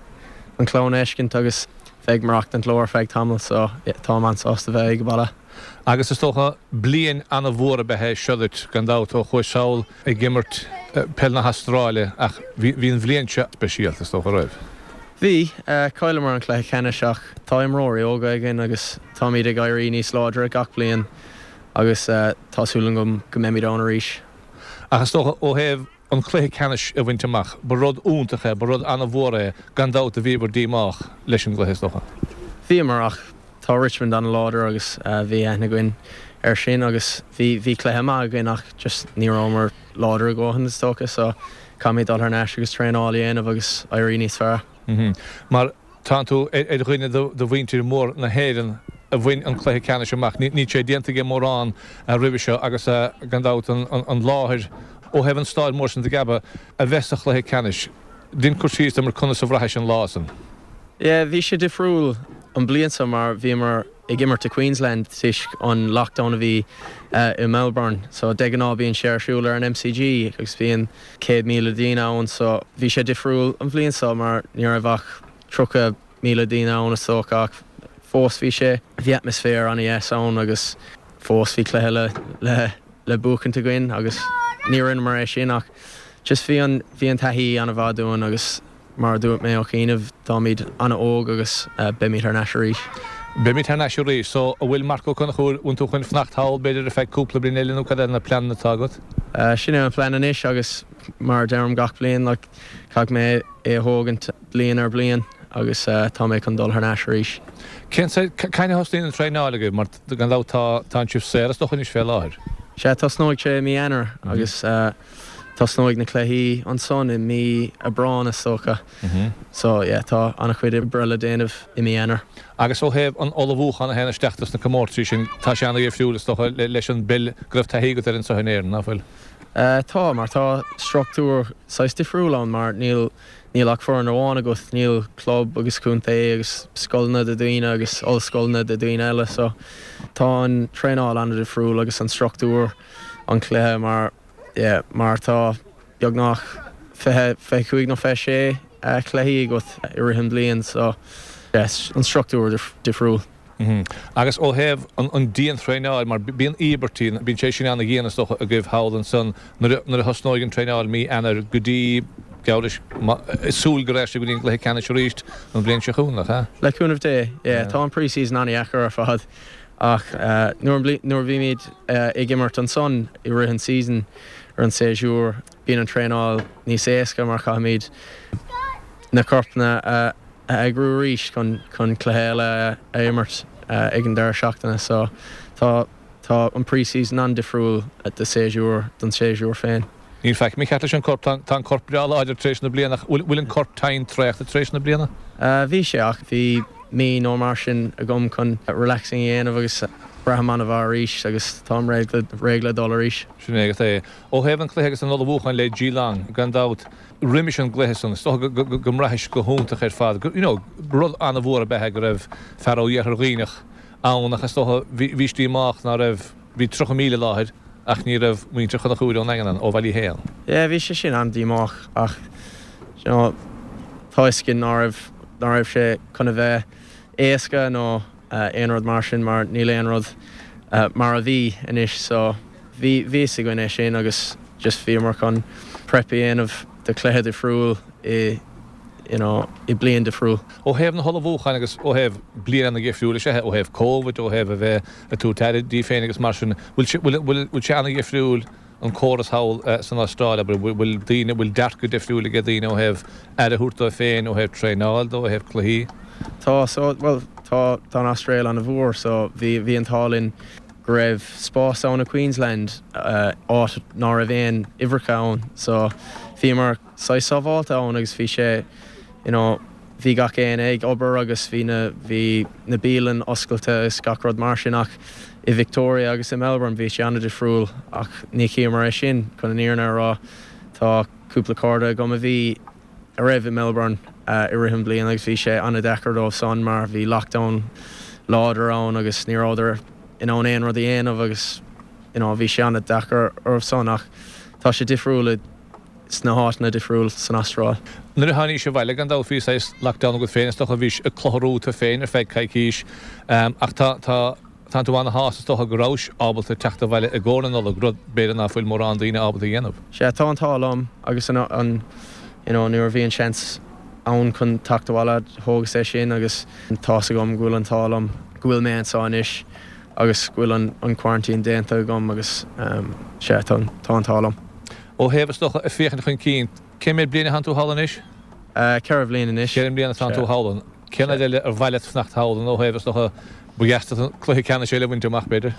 chlann a fheiscint agus bheith ag maireachtaint leo ar feadh tamaill so táim an-sásta bheith ag baile. Agus is dócha, bliain an-mhór ab ea é seo duit, gan dabht, ó chuais sall ag imirt peil na hAstráile ach bhí an bhliain seo speisialta, is dócha, raibh? Bhí. Chailleamar an cluiche ceannais ach tá imreoirí óga againn agus táimid ag éirí níos láidre gach bliain agus tá súil agam go mbeimid ann arís. Ach is dócha, ó thaobh an cluiche ceannais a bhaint amach, ba rud iontach é, ba rud an-mhór é, gan dabht, bhíobhair díomách leis an gcluiche, is dócha. Bhíomar, ach tá Richmond an-láidir agus bhí aithne againn air sin agus bhí bhí cluiche maith againn ach just ní rabhamar láidir a dhóthain is dócha so caithfimid dul thar n-ais agus traenáil a dhéanamh agus éirí níos fearr. Mar tánn tú ar dhuine de mhuintir mhór na hÉireann a bhain an cluiche ceannais amach. Níl sé déanta ag mórán roimhe seo agus gan dabht an láthair ó thaobh an stáid mór san de Gabba a bheith sa chluiche ceannais. Dein cur síos dom ar conas a bhraithis an lá san. Yeah, bhí sé difriúil an bliain seo mar bhíomar ag imirt i Queensland toisc an lockdown a bhí i Melbourne. So de ghnáth bíonn sé ar siúl ar an MCG agus bíonn céad míle daoine ann so bhí sé difriúil an bhliain seo mar ní raibh ach tríocha míle daoine ann is dócha ach fós bhí sé, bhí atmaisféar an-dheas ann agus fós bhí cluiche le le le buachaint againn agus ní rinneamar é sin ach just bhí an bhí an taithí an-mhaith dúinn agus mar a dúirt mé ó chianaibh táimid an-óg agus beimid thar n-ais arís. Beimid thar n-ais arís. So, an bhfuil Marc Ó Conchúir, bhfuil tú chun fanacht thall b'fhéidir ar feadh cúpla bliain eile nó cad é na pleananna atá agat? Sin é an plean anois agus mar a deirim gach bliain, like, caithfidh mé é a thógaint bliain ar bliain agus tá mé chun dul thar n-ais arís. Cén cathain a thosnaíonn an traenáil agaibh mar gan dabht tá tá sibh saor is dócha anois fé láthair? Sea, tosnóidh sé i mí Eanáir agus tosnóidh na cluichí ansan i mí Aibreán is dócha. So yeah, tá an-chuid oibre le déanamh i mí Eanáir. Agus ó thaobh an ullmhúchán a théann isteach dos na comórtaisí sin, tá sé an-dhifriúil is dócha leis an bpeil go raibh taithí agat air anseo in Éirinn, ná fuil? Tá, mar tá struchtúr saghas difriúil ann mar níl níl ach foireann amháin agat, níl club agus contae agus scoileanna do daoine agus ollscoileanna do daoine eile so tá an traenáil an-difriúil agus an struchtúr an cluiche mar yeah mar tá beagnach fiche, fiche cúig nó fiche sé cluichí agat i rith an bliain so yeah an struchtúr difriúil. Agus ó thaobh an diantraenáil, mar bíonn íobairtí, bíonn sé sin ana-dhian is dócha agaibh thall ansan nuair a thosnóidh an traenáil mí Eanáir go dtí, geall leis, súil go raibh sé go dtí an gcluiche ceannais arís an bhliain seo chugainn, nach ea? Le cúnamh Dé, yeah. Tá an pre-season an-dheacair ar fad ach nuair a bhímid ag imirt ansan i rith an season ar an séasúr, bíonn an traenáil níos éasca mar caithfimid na corpanna a a eagrú arís chun chun cluiche eile a imirt ag an deireadh seachtaine so tá tá an pre-season an-difriúil do séasúr don séasúr féin. Níl faic mícheart leis an corp, tá tá an corp breá láidir tar éis na bliana ach bhfuil bhfuil an corp tinn traochta tar éis na bliana? Bhí sé ach bhí mí nó mar sin agam chun relaxing a dhéanamh agus braithim an-mhaith arís agus táim réidh le réidh le dul arís. Sin é agat é. Ó thaobh an chluiche agus an ullmhúcháin le Geelong, gan dabht, roimis an gcluiche san, is dócha go mbraithis go hiontach ar fad, you know, rud an-mhór ab ea é go raibh fear ó Iarthar Dhuibhneach ann ach is dócha bhís díomách ná raibh, bhí tríocha míle i láthair ach ní raibh muintir Chonchúir ón nDaingean ann, ó Bhaile Uí Shé ann. Yeah, bhí sé sin an-díomách ach, you know, tá fhios againn ná raibh, ná raibh sé chun a bheith éasca nó aon rud mar sin mar níl aon rud mar a bhí anois so bhí, bhí fhios againn é sin agus just bhíomar chun prep a dhéanamh do chluiche difriúil i you know i bliain difriúil. Ó thaobh na hullmhúcháin agus ó thaobh bliain ana-dhifriúil is ea é, ó thaobh Covid, ó thaobh a bheith ag tabhairt aire díbh féin agus mar sin, bhfuil sé, bhfuil, bhfuil, bhfuil sé ana-dhifriúil an córas thall san Astráil, abair, bhfuil daoine, bhfuil dearcadh difriúil ag daoine ó thaobh aire a thabhairt dóibh féin, ó thaobh traenáil dó, ó thaobh cluichí? Tá, so, bhuel, tá, tá an Astráil ana-mhór so bhí, bhí an t-ádh linn go raibh spás ann i Queensland, áit ná raibh aon uimhreacha ann so bhíomar saghas sábháilte ann agus bhí sé you know bhí gach éinne ag obair agus bhí na bhí na bialann oscailte agus gach rud mar sin ach i Victoria agus i Melbourne bhí sé an-difriúil ach ní chíomar é sin chun an fhírinne a rá tá cúpla cairde agam a bhí a raibh i Melbourne i rith an bhliain agus bhí sé an-deacair dóibh san mar bhí lockdown láidir ann agus ní rabhadar in ann aon rud a dhéanamh agus you know bhí sé an-deacair orthu san ach tá sé difriúil i sna háiteanna difriúil san Astráil. Nuair a tháinís abhaile gan dabht bhí saghas lockdown agat féin is dócha bhís ag clutharú tú féin ar feadh coicís ach tá tá Tánn tú ana-shásta is dócha go rabhais ábalta teacht abhaile i gcomhair na Nollag, rud b'fhéidir ná fuil mórán daoine ábalta a dhéanamh. Sea, tá an t-ádh liom agus an, an, you know, nuair a bhí an seans ann chun teacht abhaile, thógas é sin agus tá's agam go bhfuil an t-ádh liom go bhfuil mé anseo anois agus go bhfuil an, an quarantine déanta agam agus, sea, tá, tá an t-ádh liom. Ó thaobh, is dócha, ag féachaint chun cinn, cé mhéad bliain atánn tú thall anois? Ceithre bhliain anois. Ceithre mbliana atánn tú thall ann. Cén fhad eile ar mhaith leat fanacht thall ann ó thaobh, is dócha, ba dheas duit an cluiche ceannais eile a bhaint amach, b'fhéidir?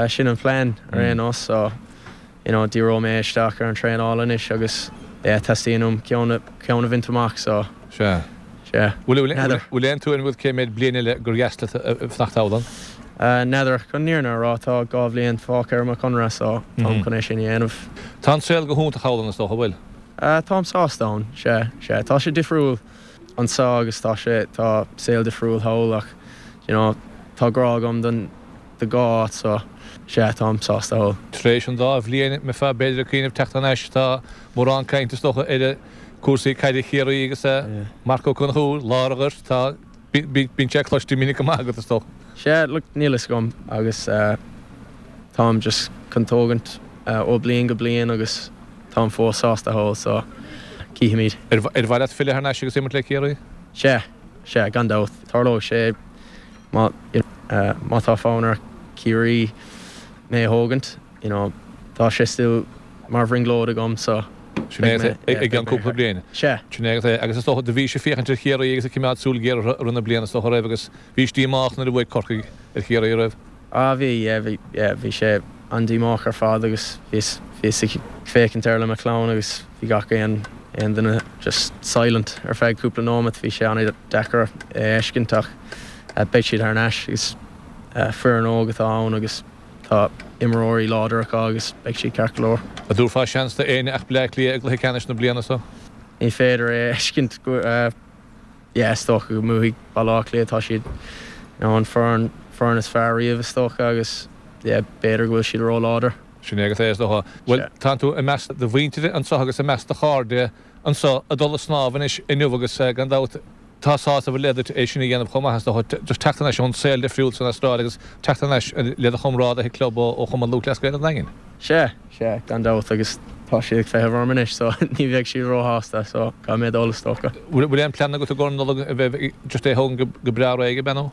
Sin an plean ar aon nós so you know díreoidh mé isteach ar an traenáil anois agus yeah teastaíonn uaim ceann ceann a bhaint amach so Sea. sea. Bhfuil N'fheadar. Bhfuil aon tuairim agat cé mhéad bliain eile gur dheas leat fanacht thall ann? N'fheadar. Chun an fhírinne a rá tá dhá bhliain fágtha ar mo chonradh so táim chun é sin a dhéanamh. Tá an saol go hiontach thall ann is dócha, an bhfuil? Táim sásta ann, sea, sea. Tá sé difriúil anseo agus tá sé, tá saol difriúil thall ach you know tá grá agam don, do dhá áit so sea, táim sásta thall. Tar éis an dá bhliain, mbeifeá b'fhéidir ag cuimhneamh teacht thar n-ais, tá mórán cainte is dócha ar cúrsaí caide Chiarraí agus Marc Ó Conchúir, lár an ghoirt, tá, bíonn sé cloiste minic go maith agat is dócha. Sea, look, níl fhios agam agus táim just chun tógaint ó bliain go bliain agus táim fós sásta thall so cífimid. Ar mhaith leat filleadh thar n-ais agus imirt le Ciarraí? Sea, sea, gan dabht. Tarlóidh sé má, má tá fonn ar Chiarraí mé a thógaint, you know, tá sé still mar bhrionglóid agam so Sin é i gceann cúpla bliain. Sea. Sin é agus is dócha do bhís ag féachaint ar Chiarraí agus ag coimeád súil ghéar orthu i rith na bliana is dócha raibh agus bhís díomách nuair a bhuaigh Corcaigh ar Chiarraí raibh? Ah bhí, yeah, bhí, yeah, bhí sé an-díomách ar fad agus bhíos, bhíos ag féachaint air le mo chlann agus bhí gach aon, aon duine just silent ar feadh cúpla nóimeat, bhí sé an-deacair é a fheiscint ach beidh siad thar n-ais agus foireann óg atá ann agus tá imreoirí láidir acu agus beidh siad ceart go leor. An dtabharfá seans do éinne ach Bleá Cliath i gcluiche ceannais na bliana seo? Ní féidir é a fheiscint go, yeah, is dócha go mbuafaidh Baile Átha Cliath, tá siad you know an foireann, foireann is fearr riamh is dócha agus yeah, b'fhéidir go bhfuil siad ró-láidir. Sin é agus é is dócha. Bhuel, tánn tú i measc do mhuintire anseo agus i measc do chairde anseo ag dul ag snámh anois inniu agus gan dabht tá sásamh ar leith duit é sin a dhéanamh chomh maith is dócha, just teacht thar n-ais ón saol difriúil san Astráil agus teacht thar n-ais le do chomrádaithe club ó Chumann Lúthchleas Gael an Daingin. Sea, sea, gan dabht agus tá siad ag feitheamh orm anois so ní bheidh siad róshásta so caithfidh mé dul is dócha. Bhfuil aon plean agat i gcomhair na Nollag a bheith just é a thógaint go breá réidh, ab ea nó?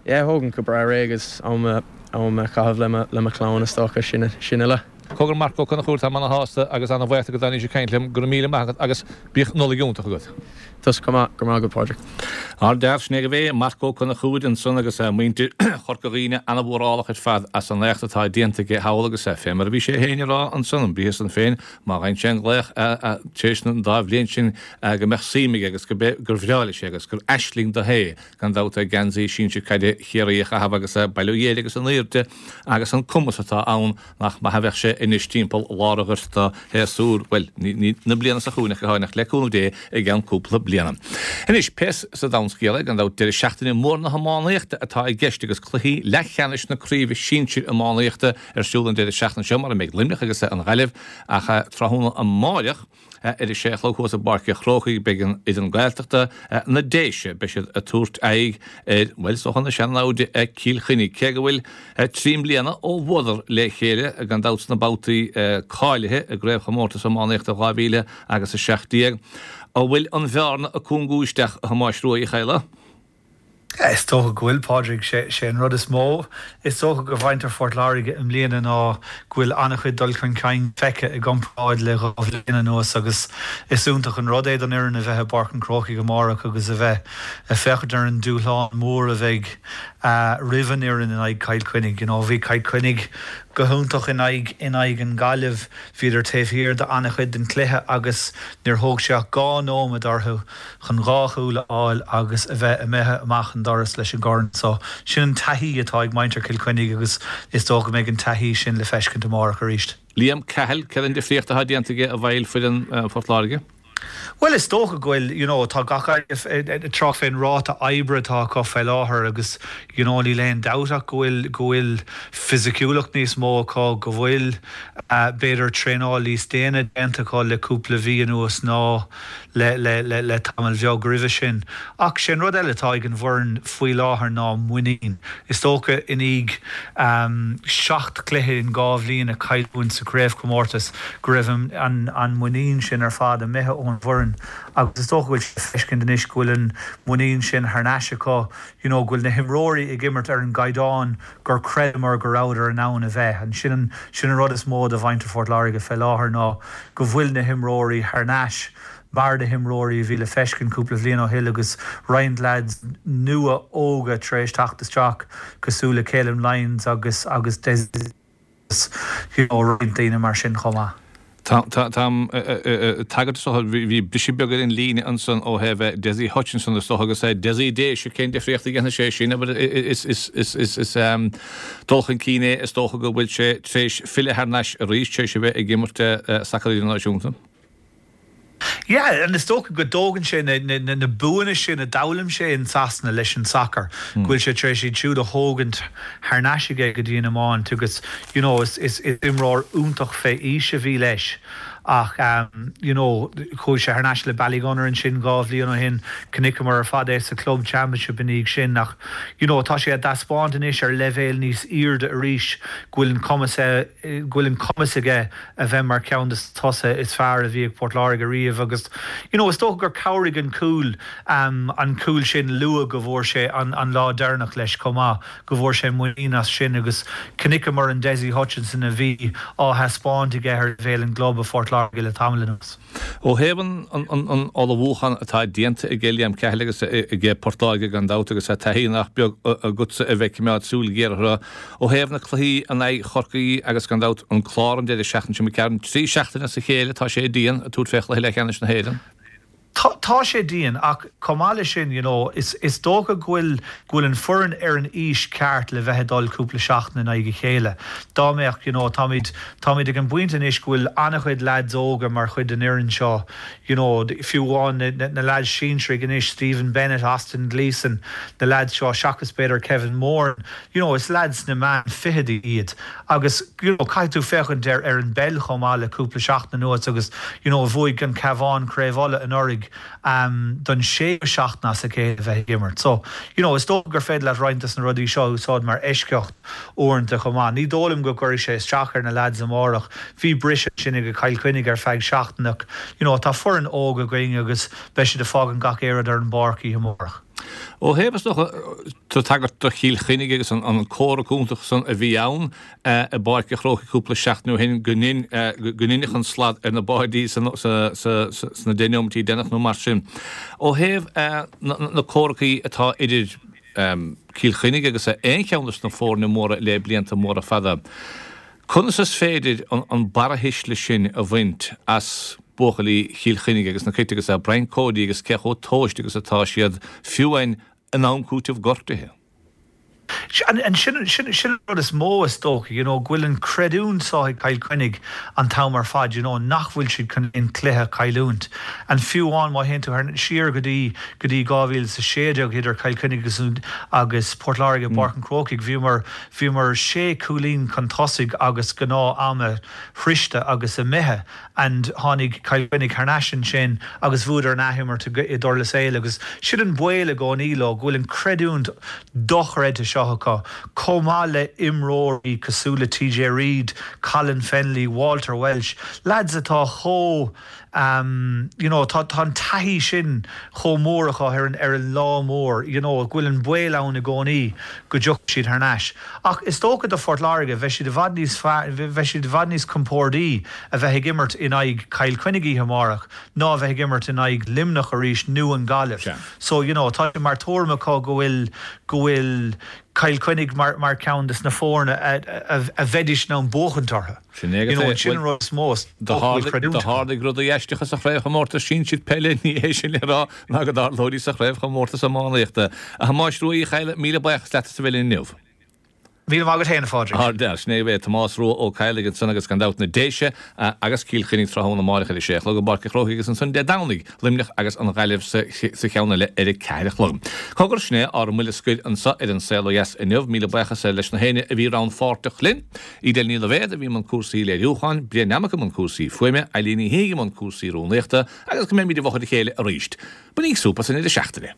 Yeah, thógaint go breá réidh agus am a am a chaitheamh le mo le mo chlann is dócha, sin sin uile. Cogar Marc Ó Conchúir, táim ana-shásta agus ana-bhuíoch de go dtáinís ag caint liom. Go raibh míle maith agat agus bíodh Nollaig iontach agat. Tusa chomh maith, go raibh maith agat Pádraig. Ardfhear, sin é agaibh é, Marc Ó Conchúir ansan agus muintir Chorca Dhuibhne ana-mhórálach ar fad as an éacht atá déanta aige thall agus fé mar a bhí sé féin ag rá ansan, an briathar san féin, má fhaigheann sé an glaoch tar éis na dá bhliain sin go mbeadh suim aige agus gur bhreá leis é agus gur aisling dó é gan dabht geansaí sinsir caide Chiarraí a chaitheamh agus bail ó Dhia air agus an airde agus an cumas atá ann nach maith a bheadh sé anois timpeall lár an ghoirt do shéasúr, bhuel, ní na bliana seo chugainn ach go háirithe, le cúnamh Dé i gceann cúpla bliana. Anois, pé sa domhan scéal é, gan dabht, deireadh seachtaine mór na hiománaíochta atá i gceist agus cluichí leathcheannais na craoibhe sinsir iománaíochta ar siúl an deireadh seachtaine seo mar a mbeidh Luimneach agus an Ghaillimh ach tráthnóna amáireach, Ar a sé a chlog thuas i bPáirc an Chrócaigh beidh an fhoireann Gaeltachta, na Déise, beidh siad ag tabhairt aghaidh ar, bhuel, is dócha na sean-naimhde Cill Chainnigh. Cé go bhfuil trí mbliana ó bhuadar le chéile, gan dabht sna babhtaí cáilithe i gCraobhchomórtas Iománaíochta dhá mhíle agus a seacht déag, an bhfuil an bhearna ag cúngú isteach, a Thomáis Rua Uí Chadhla? Is dócha go bhfuil, Pádraig. Sé an rud is mó is dócha do mhuintir Phort Láirge i mbliana ná go bhfuil an-chuid dul chun cinn feicthe i gcomparáid le dhá bhliain anuas agus is iontach an rud é don fhoireann a bheith i bPáirc an Chrócaigh amárach agus a bheith ag féachaint ar an dúshlán mór a bheidh roimh an fhoireann in aghaidh Chill Chainnigh. You know, bhí Cill Chainnigh go hiontach in aghaidh in aghaidh an Ghaillimh, bhíodar taobh thiar d'an-chuid den chluiche agus níor thóg sé ach dhá nóiméad orthu chun dhá chúl a fháil agus a bheith imithe amach an doras leis an gcorn. So, sin an taithí atá ag muintir Chill Chainnigh agus is dócha go mbeidh an taithí sin le feiscint amárach arís. Liam Cahill, Céard an difríocht atá déanta aige i bhfeighil foireann Phort Láirge? Bhuel, is dócha go bhfuil, you know, tá gach ag trácht fén ráta oibre atá acu fé láthair agus, you know, níl aon dabht ach go bhfuil, go bhfuil fisiciúlacht níos mó acu, go bhfuil, b'fhéidir, traenáil níos déine déanta acu le cúpla mhí anuas ná le, le, le, le tamall bheag roimhe sin. Ach sé an rud eile atá ag an bhfoireann faoi láthair ná muinín. Is dócha i ndiaidh seacht gcluiche in dhá bhliain a chailliúint sa chraobhchomórtas go raibh an, an, an muinín sin ar fad imithe ón bhfoireann agus is dócha go bhfuil sé le feiscint anois go bhfuil an muinín sin thar n-ais acu, you know, go bhfuil na himreoirí ag imirt ar an gcaighdeán gur chreideamar go rabhadar in ann a bheith. And sin an, sin an rud is mó do mhuintir Phort Láirge fé láthair ná go bhfuil na himreoirí thar n-ais mar na himreoirí a bhí le feiscint cúpla bhliain ó shin agus roinnt lads nua óga tar éis teacht isteach cosúil le Calum Lyons agus agus Des you know, roinnt daoine mar sin chomh maith. Táim ag tagairt is dócha, bhí briseadh beag ar an líne ansan ó thaobh Dessie Hutchinson is dócha agus Dessie Déise, cén difríocht a dhéanfaidh sé sin, abair, is dul chun cinn é is dócha go bhfuil sé tar éis filleadh thar n-ais arís tar éis a bheith ag imirt sacar idirnáisiúnta. Yeah, and is dócha go dtógann sé na, na, na, na buanna sin a d'fhoghlaim sé in Sasana leis an sacar, go bhfuil sé tar éis iad siúd a thógaint thar n-ais aige go dtí an iomáint agus, you know, is, is, is imreoir iontach fé aois a bhí leis ach you know chuaigh sé thar n-ais le Ballygunner ansin dhá bhliain ó shin, chonaiceamar ar fad é sa Club Championship ina dhiaidh sin ach you know tá sé ag taispeáint anois ar leibhéal níos airde arís go bhfuil an cumas go bhfuil an cumas aige a bheith mar cheann de tosaithe is fearr a bhí ag Port Láirge riamh agus you know is dócha gur chabhraigh an cúl um, an cúl sin luath go bhfuair sé an, an lá deireanach leis chomh maith go bhfuair sé muinín as sin agus chonaiceamar an Dessie Hutchinson a bhí á thaispeáint aige ar leibhéal an gclub i Phort Láirge le tamall anuas. Ó thaobh an ullmhúchán atá déanta ag Liam Cahill agus ag Port Láirge gan dabht agus taithí nach beag agatsa a bheith ag coimeád súil ghéar orthu, ó thaobh na cluichí in aghaidh Chorcaí agus gan dabht an Clár an deireadh seachtaine seo imigh, trí seachtaine as a chéile tá sé dian ag tabhairt fé chluiche leathcheannais na hÉireann. Tá sé dian ach chomh maith leis sin you know, is, is dócha go bhfuil go bhfuil an foireann ar an aois ceart le bheith ag dul cúpla seachtain in aghaidh a chéile. Dá mbeadh you know, táimid táimid ag an bpointe anois go bhfuil an-chuid lads óga mar chuid den fhoireann seo you know, fiú amháin na, na, na lads sinsearaigh anois Stephen Bennett, Austin Gleeson, na lads seo seachas b'fhéidir Kevin Moore, you know, is lads na meán fichidí iad agus you know, caithfidh tú féachaint ar ar an bpeil chomh maith le cúpla seachtain anuas agus you know, bhuaigh an Cabhán Craobh Uladh anuraidh um, don séú seachtain as a chéile bheith ag imirt. So, you know, is dócha gur féidir leat roinnt des na rudaí seo úsáid mar eisceacht uaireanta chomh maith. Ní dóigh liom go gcuirfidh sé isteach ar na lads amárach, bhí briseadh sin ag Cill Chainnigh ar feadh seachtaine. You know, tá foireann óg againn agus beidh siad ag fágaint gach aon rud ar an bpáirc oíche amárach. Ó thaobh is dócha tú tagairt do Chill Chainnigh agus an comhrac iontach san a bhí ann i bPáirc an Chrócaigh cúpla seachtain ó shin go n-inneach an slad ar na báidí sna deich neomaití deireanach nó mar sin. Ó thaobh na comhracaí atá idir Cill Chainnigh agus aon cheann de na foirne móra le blianta móra fada, conas is féidir an barrathuisle sin a bhaint as buachaillí Chill Chainnigh agus na Cait agus Brian Cody agus cé chomh tomhaiste agus atá siad fiú amháin in am cúitimh gortuithe. Sin sin sin an rud is mó is dócha, you know, go bhfuil an creidiúint seo ag Cill Chainnigh an t-am ar fad, you know, nach bhfuil siad chun aon cluiche a chailliúint. And fiú amháin má théann tú siar go dtí go dtí dhá mhíle is a sé déag idir Cill Chainnigh agus agus Port Láirge i bPáirc an Chrócaigh, bhíomar bhíomar sé cúilín chun tosaigh agus gnáth ama sroichte agus imithe and tháinig Cill Chainnigh thar n-ais ansin agus bhuadar an athimirt i dTurlas Éile agus sin an baol i gcónaí leo, go bhfuil an creidiúint dochreidte seo acu, chomh maith le imreoirí cosúil le TJ Reid, Colin Fennelly, Walter Walsh, lads atá chomh um, you know, tá tá an taithí sin chomh mór acu ar an ar an lá mór, you know, go bhfuil an baol ann i gcónaí go dtiocfaidh siad thar n-ais. Ach is dócha do Phort Láirge, bheidh siad i bhfad níos bheidh siad i bhfad níos compordaí a bheith ag imirt in aghaidh Chill Chainnigh oíche amárach ná a bheith ag imirt in aghaidh Luimneach arís nó an Ghaillimh. So, you know, tá sé mar tuairim acu go bhfuil go bhfuil Cill Chainnigh mar mar ceann des na foirne a a a bheidís in ann buachaint orthu. Sin é You know, sin an rud is mó is Do dócha go bhfuil tharlaigh creidiúint do acu. tharlaigh rudaí aisteacha sa chraobhchomórtas sinsir peile ní hé sin le rá ná go dtarlóidís sa chraobhchomórtas iománaíochta. A Thomáis Rua Uí Chadhla, míle buíochas leat as a bheith linn inniu. Míle maith agat féin, a Phádraig. Ardfhear, sin é é Tomás Rua Ó Cadhlaigh ansan agus gan dabht na Déise agus Cill Chainnigh tráthnóna amárach ar a sé a chlog i bPáirc an Chrócaigh agus ansan Dé Domhnaigh, Luimneach agus an Ghaillimh sa sa cheann eile ar a ceathair a chlog. Cogar, sin é ár mbuille scoir anso ar An Saol Ó Dheas inniu. Míle buíochas leis na héinne a bhí rannpháirteach linn. Edel Ní Loibhéad a bhí i mbun cúrsaí léiriúcháin, Brian Nammock i mbun cúrsaí fuaime, Eileen Ní hIaigh i mbun cúrsaí rúnaíochta agus go mbeimid i bhfochair a chéile arís. Bainíg súp as an deireadh seachtaine.